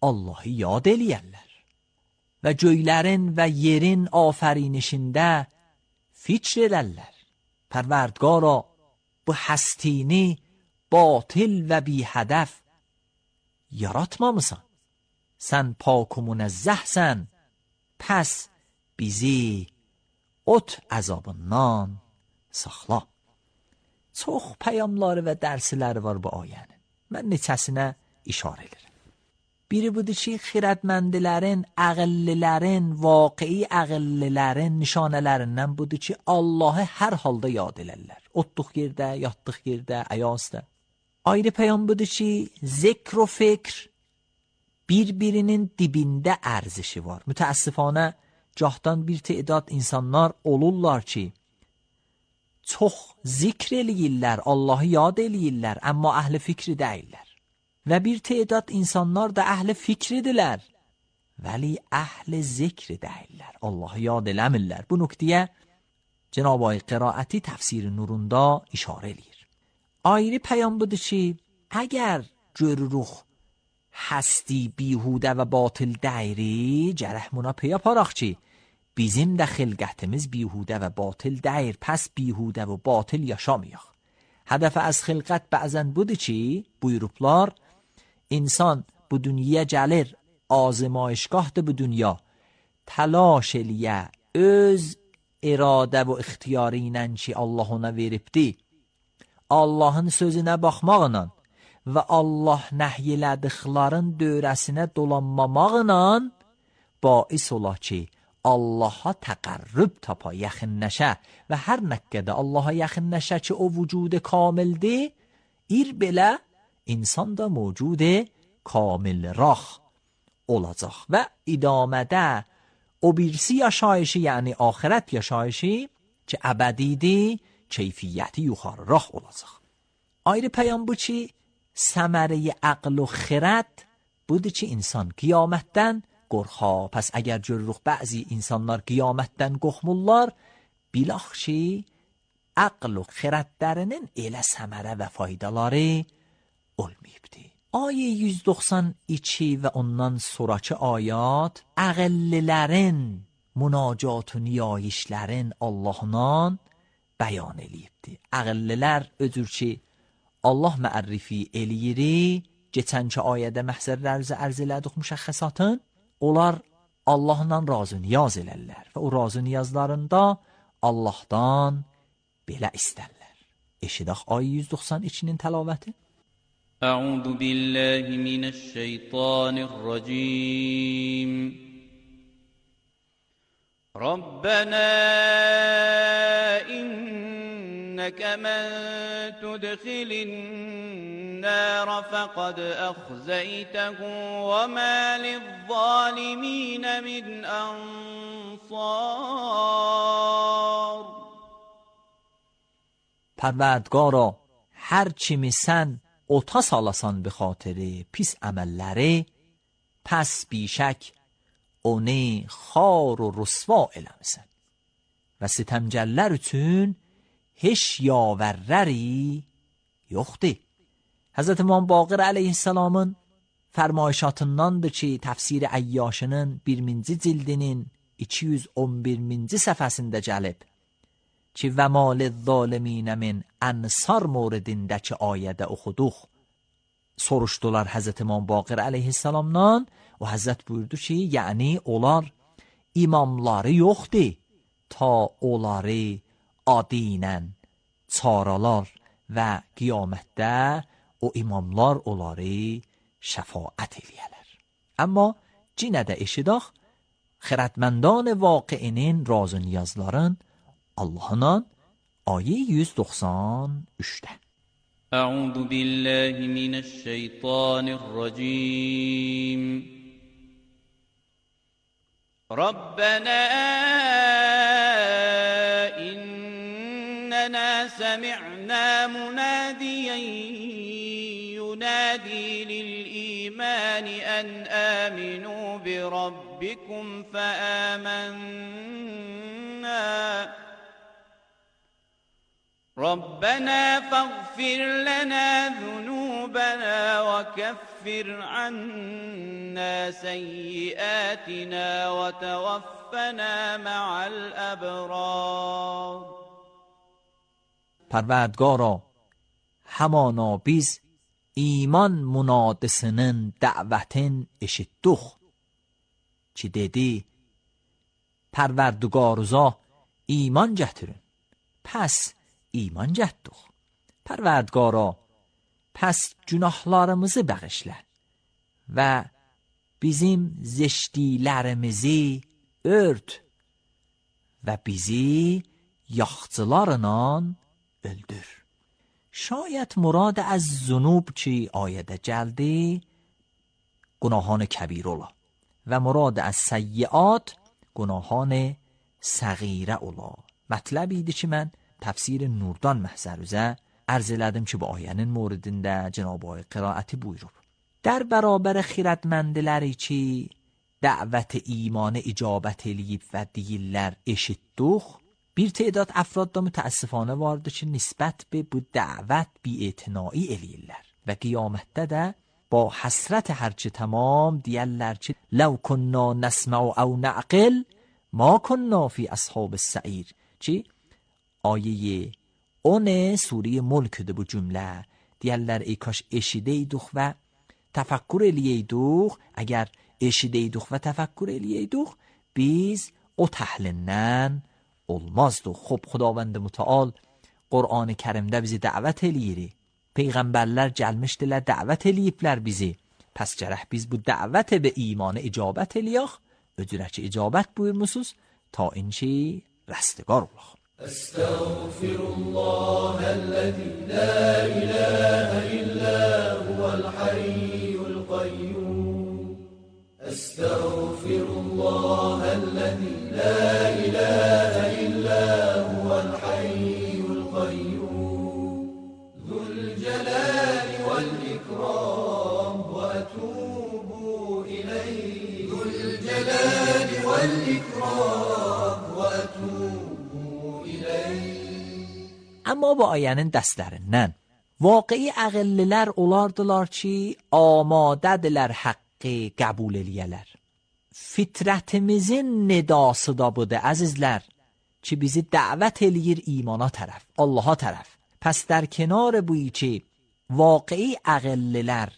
Allahı yad eləyərlər və göylərin və yerin afərinişində fikr edərlər. Pərverdگارا bu hستینی باطل و بی هدف yaratmamısan. Sən pak و منزهsən. Pəs bizi ot əzabından saxla. Çox peyamları və dərsləri var bu ayənin. Mən neçəsinə işarə edirəm. Biri budur ki, xirədməndilərin, əqillilərin, vaqi'i əqillilərin nişanələrindən budur ki, Allahı hər halda yad elərlər. Otduq yerdə, yatdıq yerdə, əyazda. Ayrı peyam budur ki, zikr و fikr bir-birinin dibində ərzişi var. Mütəəssifanə cahdan bir تعداد insanlar olurlar ki, çox zikr eləyirlər, Allahı yad eləyirlər, amma əhl-i fikri deyirlər. Və bir تعداد insanlar da əhl-i fikridirlər, vəli əhl-i zikri deyirlər, Allahı yad eləmirlər. Bu nöqtəyə Cenab-ı Ay qiraəti təfsir nurunda işarə eləyir. Ayrı peyam budur ki, əgər görürük هستی بیهوده و باطل دایری جرحمونا پیا پاراق چی bizim də xilqətimiz bihudə və batil dəyir, pəs bihudə və batil yaşamayıq. Hədəfə az xilqət bəzən budur ki, buyurublar, insan bu dünyaya gəlir, azmayışgahdır bu dünya, təlaş eləyə, öz iradə və ixtiyarı ilə ki, Allah ona veribdi, Allahın sözünə baxmaqla və Allah nəhyələdiklərin dövrəsinə dolanmamaqla bais ola ki, Allaha təqərrüb tapa, yaxınləşə və hər nəqqədə Allaha yaxınləşə ki, o vücudu kamildir, ir belə insan da mövcudu kamil rah olacaq və idamədə o birisi yaşayışı, yəni axirət yaşayışı ki, əbədidir, keyfiyyəti yuxarı rah olacaq. Ayrı peyam bu ki, səmərəyi əql و xirət budur ki, insan qiyamətdən qorxa. Pəs əgər görürük bəzi insanlar qiyamətdən qorxmurlar, bilax ki, əql و xirətlərinin elə səmərə və faydaları olmayıbdır. Ayə yüz doxsan iki və ondan sonraki ayat əqillilərin münacat و niyayişlərin Allah'dan bəyan eləyibdir. Əqillilər ödür ki, Allah məərrifi eləyiri, geçənki ayədə məhzərlərimizi ərz elədik müşəxxəsatın, onlar Allahla razı niyaz elərlər və o razı niyazlarında Allahdan belə istərlər. Eşidək ayə yüz doxsan ikinin təlavəti. Əuzu billahi minəşşeytanirracim. Rabbena inneke men tudkhilin nar faqad akhzaytahu ve ma lizzalimin min ansar. Pərverdgara, hər kimi sən ota salasan به خاطر pis əməlləri, pəs bişək onu xar و rüsva eləmisən və sitemcəllər üçün heç yavərləri yoxdur. Həzrət İmam Baqir əleyhissalamın fərmayişatındandır ki, təfsir Əyyəşinin birinci cildinin iki yüz on birinci səhifəsində gəlib ki, və malil zaliminə min ənsar mövridindəki ayədə oxuduq. Soruşdular Həzrət İmam Baqir əleyhissalamdan, o Həzrət buyurdu ki, yəni onlar imamları yoxdur, ta onları adinə çaralar və qiyamətdə o imamlar onları şəfaət eləyələr. Amma cinə də eşidək, xirətməndان واقعinin razı niyazların Allah'la ayı yüz doxsan üçdə. Əuzu billahi minəşşeytanirracim. Rabbena innena semi'na munadiyen yunadi lil-iman an aminu bi rabbikum fa amanna. ربنا فاغفر لنا ذنوبنا وكفر عنا سيئاتنا وتوفنا مع الابرار. پروردگارا همانا biz iman munadisinin davetin eşittik. Ki dedi Pərverdigarıza iman gətirin. Pəs iman gətirdik. Pərverdigara pəs günahlarımızı bağışla və bizim zeşdilərimizi ört və bizi yaxçılarla öldür. Şayət murad az zunub ki ayədə gəldi günahان کبیر ola və murad az səyyiat günahان صغیره ola. Mətləb idi ki mən təfsir Nurdan məhzərüzə ərz elədim ki bu ayənin موردində Cenab-ı Hak qiraəti buyurub. در برابر خیرتمندləri ki dəvət imanı icabət eləyib və deyirlər eşitdik, bir تعداد افراد da mütəəssifانه vardır ki nisbət به bu dəvət bi'etinai eləyirlər və qiyamətdə də با حسرت هرچه تمام دیالر چه لو كنا نسمع او نعقل ما كنا فی اصحاب السعیر. چی؟ آیه اون سوره ملک ده bu cümle دیالر ای کاش eşideydik و tefekkür eləyeydik. Əgər eşideydik və təfəkkür eləyeydik biz o təhlindən olmazdıq. Xub Xudavənd mütəal Qur'an-ı Kərimdə bizi dəvət eləyir. Peyğəmbərlər gəlmişdilər, dəvət eləyiblər bizi. Pəs gərək biz bu dəvət به ایمان icabət eləyək. Öcürə ki icabət buyurmusunuz ta inki rəstəgar olaq. Estağfirullah ellezî la ilahe illa huvel hayyul qayyum. Estağfirullah ellezî la ilahe illa huvel hayyul qayyum. الجلال والإكرام وأتوب إليه ذو الجلال والإكرام وأتوب إليه. Amma bu ayənin dəstlərindən vaqi'i əqillilər olardılar ki amadədirlər haqqı qəbul eləyələr. Fitrətimizin nidası da budur əzizlər ki bizi dəvət eləyir imana tərəf, Allaha tərəf. پس در کنار بویی که واقعی اقللر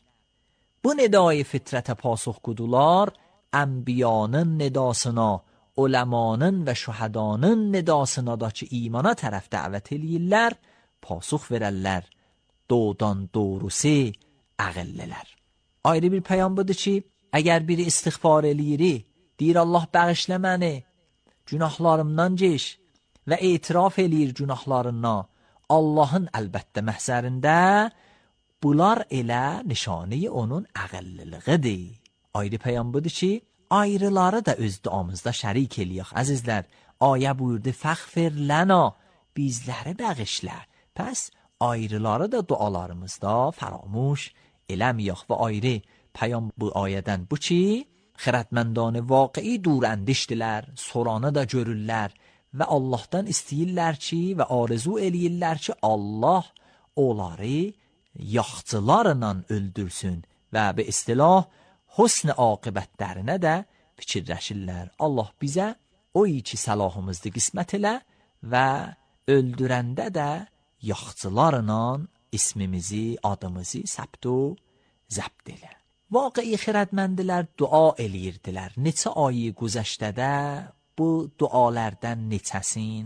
bu ندای فطرت پاسخ گدولار انبیانın نداسına ulemanın ve şuhadanın ندasına da ki imana tərəf dəvət eləyirlər pasux verərlər doğdan doğrusu اقللر. Ayrı bir peyam budur ki əgər biri istiğfar eləyiri deyir Allah bağışla məni günahlarımdan geç və etiraf eləyir günahlarından Allah'ın əlbəttə məhzərində bunlar elə nişanə onun əqəlliliğidir. Ayrı peyam budur ki ayrıları da öz duamızda şərik eləyək əzizlər. Ayə buyurdu fəğfir lana bizləri bağışla. Pəs ayrıları da dualarımızda faramuş eləməyək və ayrı peyam bu ayədən bu ki xirətməndان واقعی دور اندیشdilər, soranı da görürlər və Allahdan istəyirlər ki və arzu eləyirlər ki Allah onları yaxçılarla öldürsün və bir istilah husn aqibətlərinə də fikirləşirlər. Allah bizə o iki səlahımızı qismət elə və öldürəndə də yaxçılarla ismimizi, adımızı səbt و zəbt elə. Vaqi'i xirədməndilər dua eləyirdilər. Neçə ayı güzəştədə bu dualardan neçəsin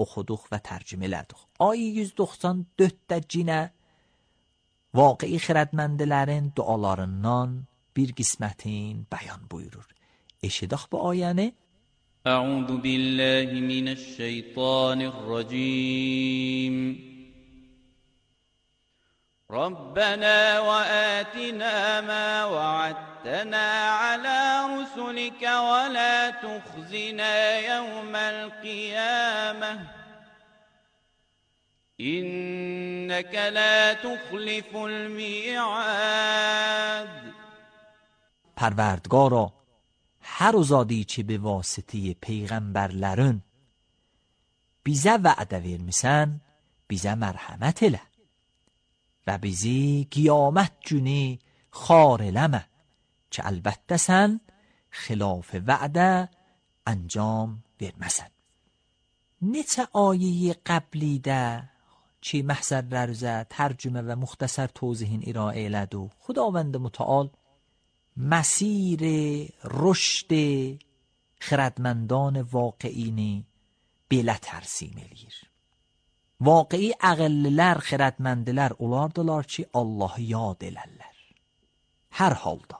oxuduq və tərcümə elədik. Ayı yüz doxsan dörddə cinə vaqi'i xirədməndilərin dualarından bir qismətin bəyan buyurur. Eşidək bu ayəni. Əuzu billahi minəşşeytanirracim. ربنا وآتنا ما وعدتنا على رسلك ولا تخزنا يوم القيامة إنك لا تخلف الميعاد. پروردگارا هر زادی چه به واسطه پیغمبرلرون بیزه وعده vermisən bizə mərhəmət elə və bizi qiyamət günü xar eləmə ki, əlbəttə sən xilaf vədə انجام verməsən. Neçə ayeyi qəblidə ki, məhzərlər üzə tərcümə və müxtəsər توضیحین ارائه elədi و خداوند متعال مسیر رشد خردمندان واقعینی belə tərsim eləyir. Vaqi'i əqəllilər, xirədməndilər olardılar ki, Allahı yad elərlər. Hər halda,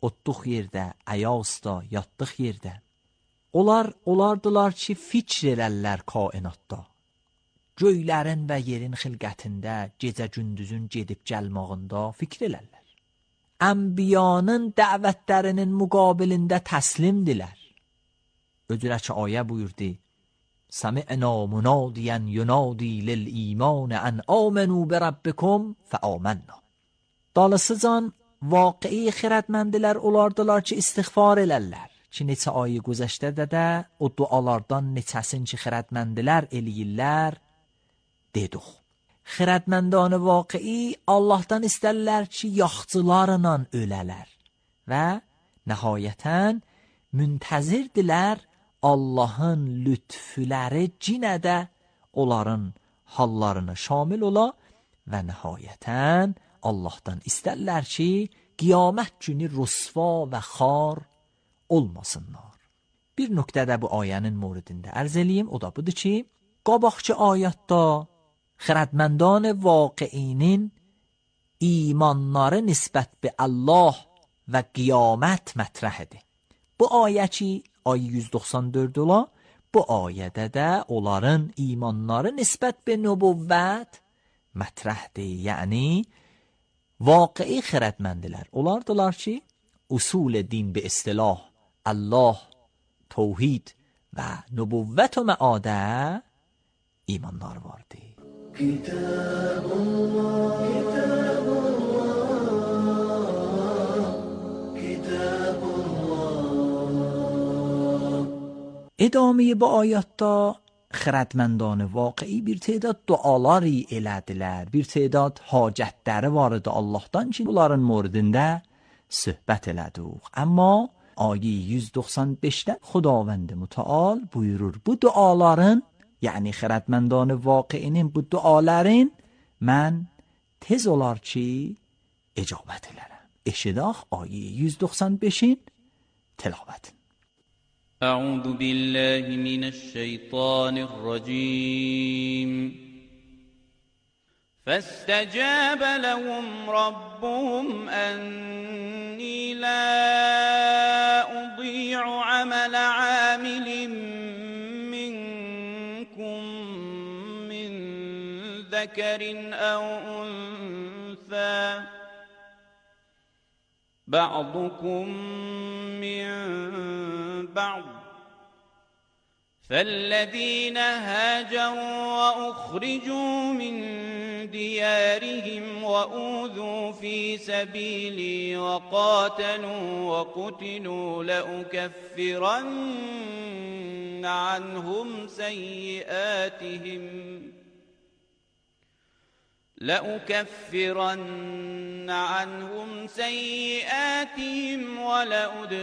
otduq yerdə, əyasda, yatdıq yerdə. Onlar olardılar ki, fikr elərlər kainatda. Göylərin və yerin xilqətində, gecə-gündüzün gedib gəlmağında fikr elərlər. Ənbiyanın dəvətlərinin müqabilində təslimdilər. Öcürə ki, ayə buyurdu: سمعنا منادیا ینادی للایمان ان آمنوا بربکم فآمنا. Dalısıcan vaqi'i xirədməndilər olardılar ki, istiğfar elərlər. Ki, neçə ayı güzəştədə də o dualardan neçəsin ki, xirədməndilər eləyirlər, dedik. Xirədməndanı vaqi'i Allahdan istərlər ki, yaxçılarla ölələr və nəhayətən müntəzirdilər Allahın lütfüləri cinədə onların hallarını şamil ola və nəhayətən Allahdan istərlər ki, qiyamət günü rüsva və xar olmasınlar. Bir nöqtədə bu ayənin mövridində ərz eləyim, o da budur ki, qabaqçı ayətdə xirədməndan vaqiinin imanları nisbət bi Allah və qiyamət mətrəhidir. Bu ayə ki, ay yüz doxsan dörd ola, bu ayədə də onların imanları nisbət bi nübüvvət mətrəhdir. Yəni, vaqi'i xirədməndilər olardılar ki, usul din bi istilah Allah, توحید و نبوت و معاده ایماندار vardı. کتاب الله کتاب الله کتاب الله. ادامه با آیاتda xirədməndan vaqi'i bir تعداد duaları elədilər, bir تعداد hacətləri var idi Allahdan ki, bunların mövridində söhbət elədik. Amma ayə yüz doxsan beşdə Xudavənd Mütəal buyurur, bu duaların, yəni xirədməndan vaqi'inin bu duaların mən tez olar ki, icabət elərəm. Eşidaq ayə yüz doxsan beşin tilavətin. أعوذ بالله من الشيطان الرجيم فاستجاب لهم ربهم أني لا أضيع عمل عامل منكم من ذكر أو أنثى بعضكم من بعض فالذين هاجروا وأخرجوا من ديارهم وأوذوا في سبيلي وقاتلوا وقتلوا لأكفرن عنهم سيئاتهم لأكفرن عنهم سيئاتهم ولأدخلنهم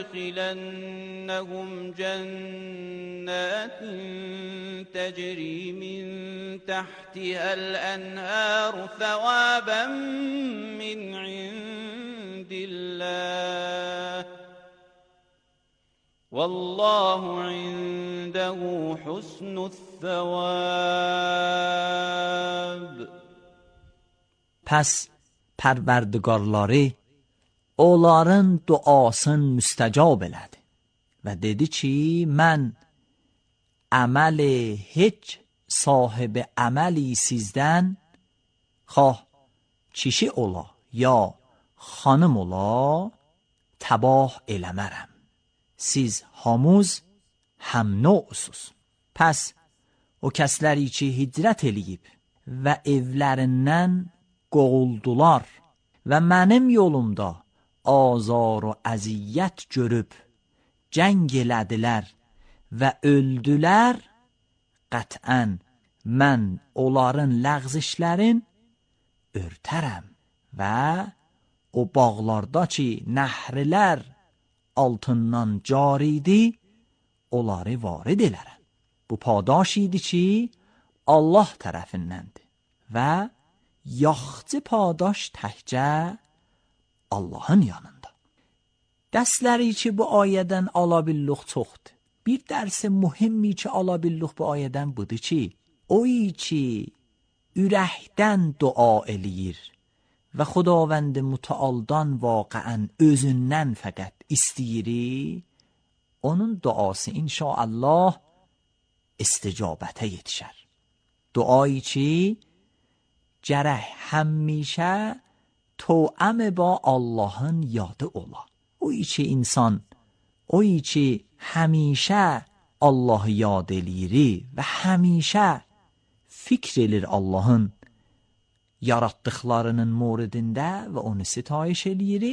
جنات تجري من تحتها الأنهار ثوابا من عند الله والله عنده حسن الثواب. پس پروردگارları onların duasını müstəcab elədi və dedi ki, mən əməli heç sahibi əməli sizdən xoh kişi ola ya xanım ola təbah eləmərəm. Siz hamuz həm nöusuz. Pəs o kəsləri ki hicrət eləyib və evlərindən qovuldular və mənim yolumda azar və əziyyət görüb cəng elədilər və öldülər, qətən mən onların ləğzişlərin örtərəm və o bağlarda ki, nəhrilər altından caridir, onları varid elərəm. Bu padaş idi ki, Allah tərəfindəndir və yaxçı padaş təkcə Allahın yanında. Dərsləri ki, bu ayədən ala billuq çoxdur. Bir dərsi mühimmi ki, ala billuq bu ayədən budur ki, o ki, ürəkdən dua eləyir və Xudavənd mütəaldan vaqiən özündən fəqət istəyiri, onun duası inşaallah isticabətə yetişər. Duayı ki, gərək həmişə توأم با Allahın yadı ola. O ki insan, o ki həmişə Allahı yad eləyir və həmişə fikr edir Allahın yaratdıqlarının moridində və onu sitayiş eləyir,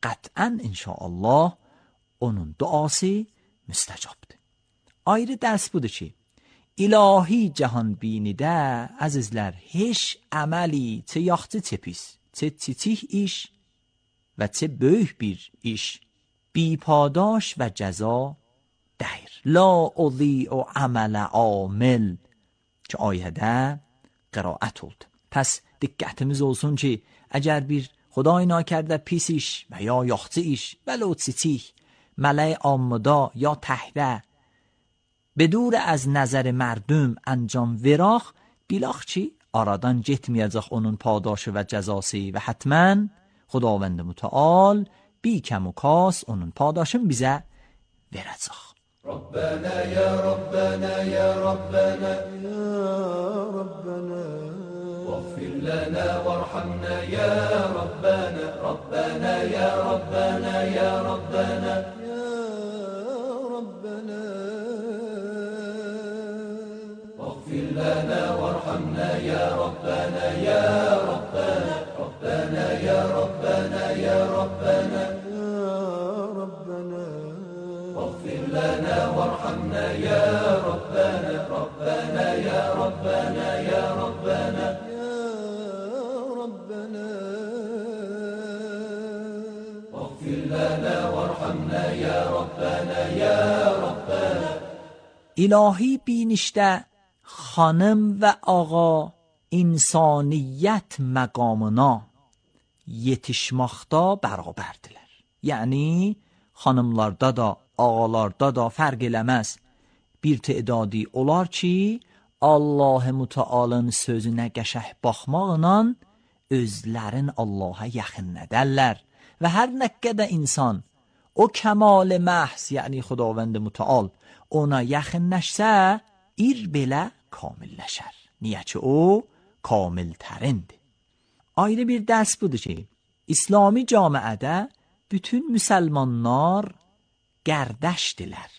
qətən inşaallah onun duası müstəcabdır. Ayrı dərs budur ki, ilahi cahan binidə, əzizlər, heç əməli, çə yaxçı çə pis, çə çiçik iş və çə böyük bir iş, bi padaş və cəza dəyir. La uzi'u əmələ amil ki, ayədə qiraət oldu. Pəs diqqətimiz olsun ki, əgər bir Xuday nakərdə pis iş və ya yaxçı iş və lo çiçik, ملای آمدا یا تهره به دور از نظر مردم انجام وراخ بیلاخ چی؟ aradan getməyəcək onun padaşı və cəzası və hətmən Xudavənd mütəal bi kəmukas onun padaşını bizə verəcək. Rabbana ya Rabbana ya Rabbana ya Rabbana واغفر لنا وارحمنا يا ربنا ربنا يا ربنا يا ربنا يا ربنا واغفر لنا وارحمنا يا ربنا يا ربنا ربنا يا ربنا يا ربنا يا ربنا واغفر لنا وارحمنا يا ربنا ربنا يا ربنا يا ربنا الهی بینişdə xanım və ağa insaniyyət məqamına yetişməkdə bərabərdirlər. Yəni xanımlarda da, ağalarda da fərq eləməz. Bir tədadı olar ki, Allah-ı Mütəalın sözünə qəşəh baxmaqla özlərin Allaha yaxınlədərlər. Və hər nə qədər insan o kəmal məhz, yəni Xudavənd Mütəal ona yaxınləşsə, ir belə kamilləşər. Niyə ki o kamiltərindir. Ayrı bir dərs budur ki, İslami camiədə bütün müsəlmanlar qərdəşdirlər.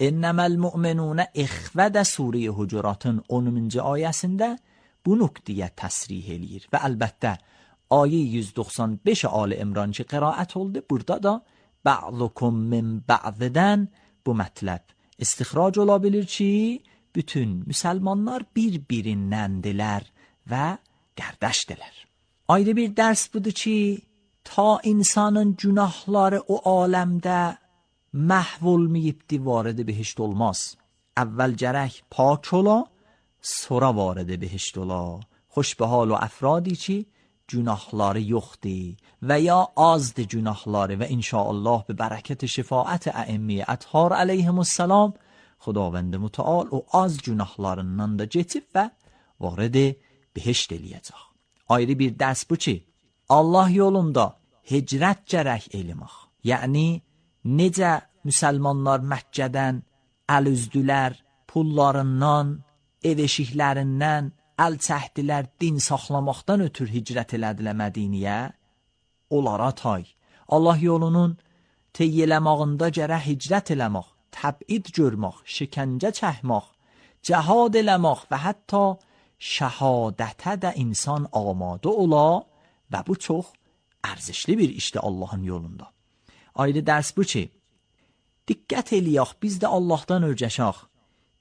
İnnəməl mü'minunə ixvədə Suriyə Hucuratın onuncu ayəsində bu nöqtəyə təsrih eləyir. Və əlbəttə, ayə yüz doxsan beş Ali İmran ki qiraət oldu, burada da ba'dukum min ba'didən bu mətləb istixrac ola bilir ki, bütün müsəlmanlar bir-birindəndirlər və qərdəşdirlər. Ayrı bir dərs budur ki, ta insanın günahları o aləmdə məhv olmayıbdi, varidi behişt olmaz. Əvvəl gərək pak ola, sonra varidi behişt ola. Xoş be hal o افرادی ki günahları yoxdur və ya azdır günahları və inşaallah به برکت şefaət ائمه اطهار علیهمالسلام Xudavənd Mütəal o az günahlarından da keçib və varید behişt eləyəcək. Ayrı bir dərs bu ki, Allah yolunda hicrət gərək eləmək. Yəni necə müsəlmanlar Məkkədən əl üzdülər, pullarından, ev eşiklərindən əl çəkdilər, din saxlamaqdan ötür hicrət elədilər Mədiniyə, onlara tay. Allah yolunun teyyələmağında gərək hicrət eləmək, təbid görmək, şikəncə çəkmək, cəhad eləmək və hətta şəhadətə də insan amadə ola və bu çox ərzişli bir işdir Allahın yolunda. Ayrı dərs bu ki, diqqət eləyək, biz də Allahdan örgəşək.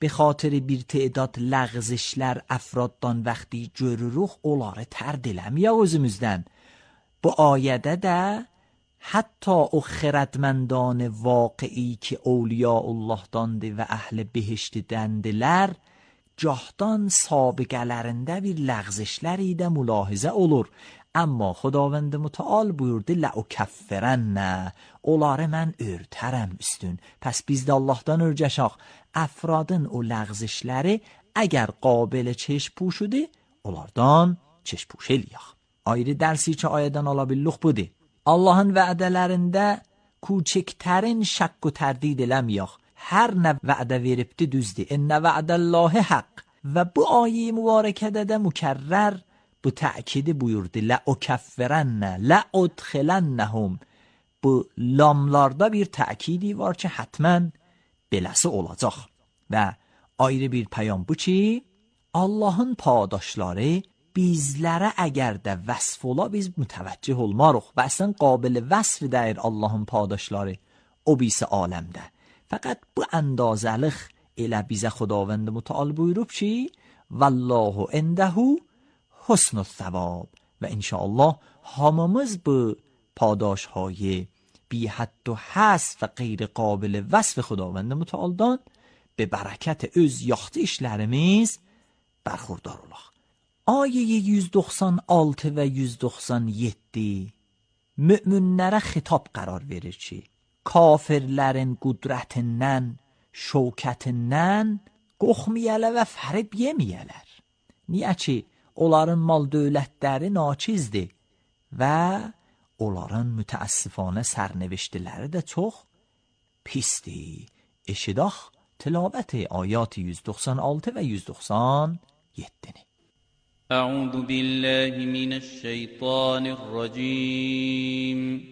be xatir bir təedad ləğzişlər əfraddan vaxtı görürük, onları tərd eləmiyor özümüzdən. Bu ayədə də hatta o xردمندان واقعی که اولیاء الله dandır və əhl-i behiştdəndirlər, gahdan sabiqələrində bir ləğzişləri də mülahizə olur. Amma Xudavənd mütəal buyurdu لَأُكَفِّرَنَّ onları mən örtərəm üstün. Pəs biz də Allahdan örgəşək. Əfradın o ləğzişləri əgər qabil çeşm puşudur, onlardan çeşm puş eləyək. Ayrı dərsi ki ayədən ala billuq budur. Allahın vədələrində küçüklərin şəkk و tərdid eləməyək. Hər nə vədə veribdi düzdür. İnnə vədəllahi haqq. Və bu ayə mübarəkədə də mükərrər bu təkidi buyurdu. لَأُكَفِّرَنَّ لَأُدْخِلَنَّهُمْ. Bu lamlarda bir təkidi var ki hətmən beləsi olacaq. Və ayrı bir pəyam bu ki Allahın padaşları bizlərə əgər də vəsf ola biz mütəvəccih olmarıq və əslən qabil vəsf deyir Allahın padaşları o birisi aləmdə. Fəqət bu əndazəlik elə bizə Xudavənd mütəal buyurub ki vallahu indəhu husnü thawab və inşallah hamımız bu padaşهای بی حد و حصر و غیر قابل وصف خداوند متعالdan به برکت öz yaxşı işlərimiz bərxurdar olaq. Ayə yüz doxsan altı və yüz doxsan yeddi möminlərə xitab qərar verir ki, kafirlərin qudrətindən, şövkətindən qorxmayələr və fərib yeməyələr. Niyə ki, onların mal dövlətləri naçizdir və onların mütəəssifانه sərneviştiləri də çox pisdir. Eşidaq tilavət ayat yüz doxsan altı və yüz doxsan yeddi. أعوذ بالله من الشيطان الرجيم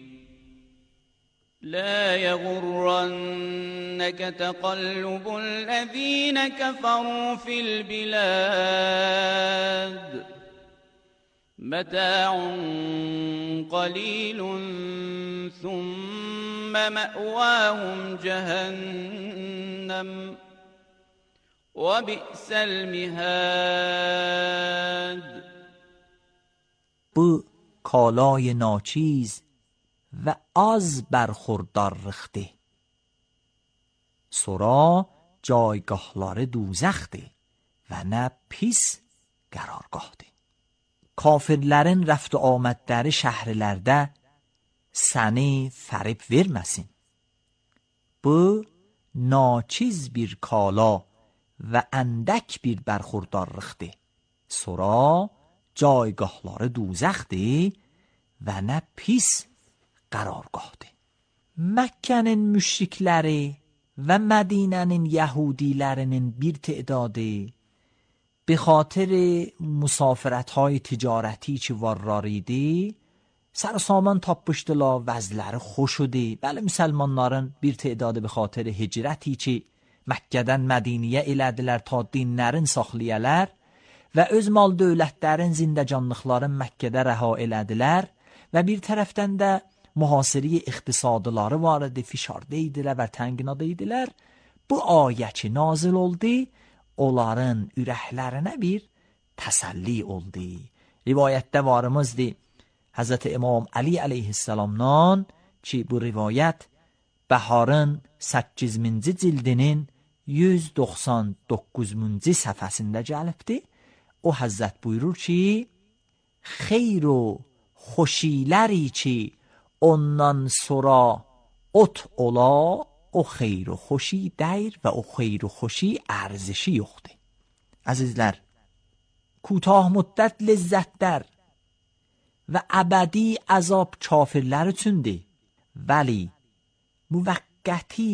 لا يغرنك تقلب الذين كفروا في البلاد متاع قليل ثم مأواهم جهنم وبئس المهاد. Bu کالای ناچیز و از برخوردار رخته سرا جایگاهلار دوزخته و نه پis قرارگاهده. Kafirlərin rəft amədləri şəhərlərdə səni fərib verməsin. Bu naçiz bir kala və əndək bir bərxurdarlıqdır. Sonra caygahları duzəxdir və nə pis qərargahdır. Məkkənin müşrikləri və Mədinənin yəhudilərinin bir تعدادی به خاطر مسافرت های تجارتی چی وراریدی سر سامان tapmışdılar, vəzləri xoş idi. Bəli, müsəlmanların bir تعدادی به خاطر hicrəti çi Məkkədən Mədiniyə elədilər ta dinlərin saxlayalar və öz mal dövlətlərin zindəcanlıqların Məkkədə rəha elədilər və bir tərəfdən də mühasiri iqtisadları var idi, fişarda idilər və tənginada idilər. Bu ayə ki nazil oldu, onların ürəklərinə bir təsəlli oldu. Rivayətdə varımızdır Həzrət İmam Ali əleyhissalamdan ki bu rivayət Bəharın səkkiz minci cildinin yüz doxsan doqquzuncu səhifəsində gəlibdir. O Həzrət buyurur ki, xeyr o xoşiləri ki ondan sonra ot ola, o xeyr و خوشی دیر و o xeyr و خوشی ارزشی yoxdur. Əzizlər, کوتاه müddət ləzzətlər və əbədi əzab kafirlər üçündür. Vəli müvəqqəti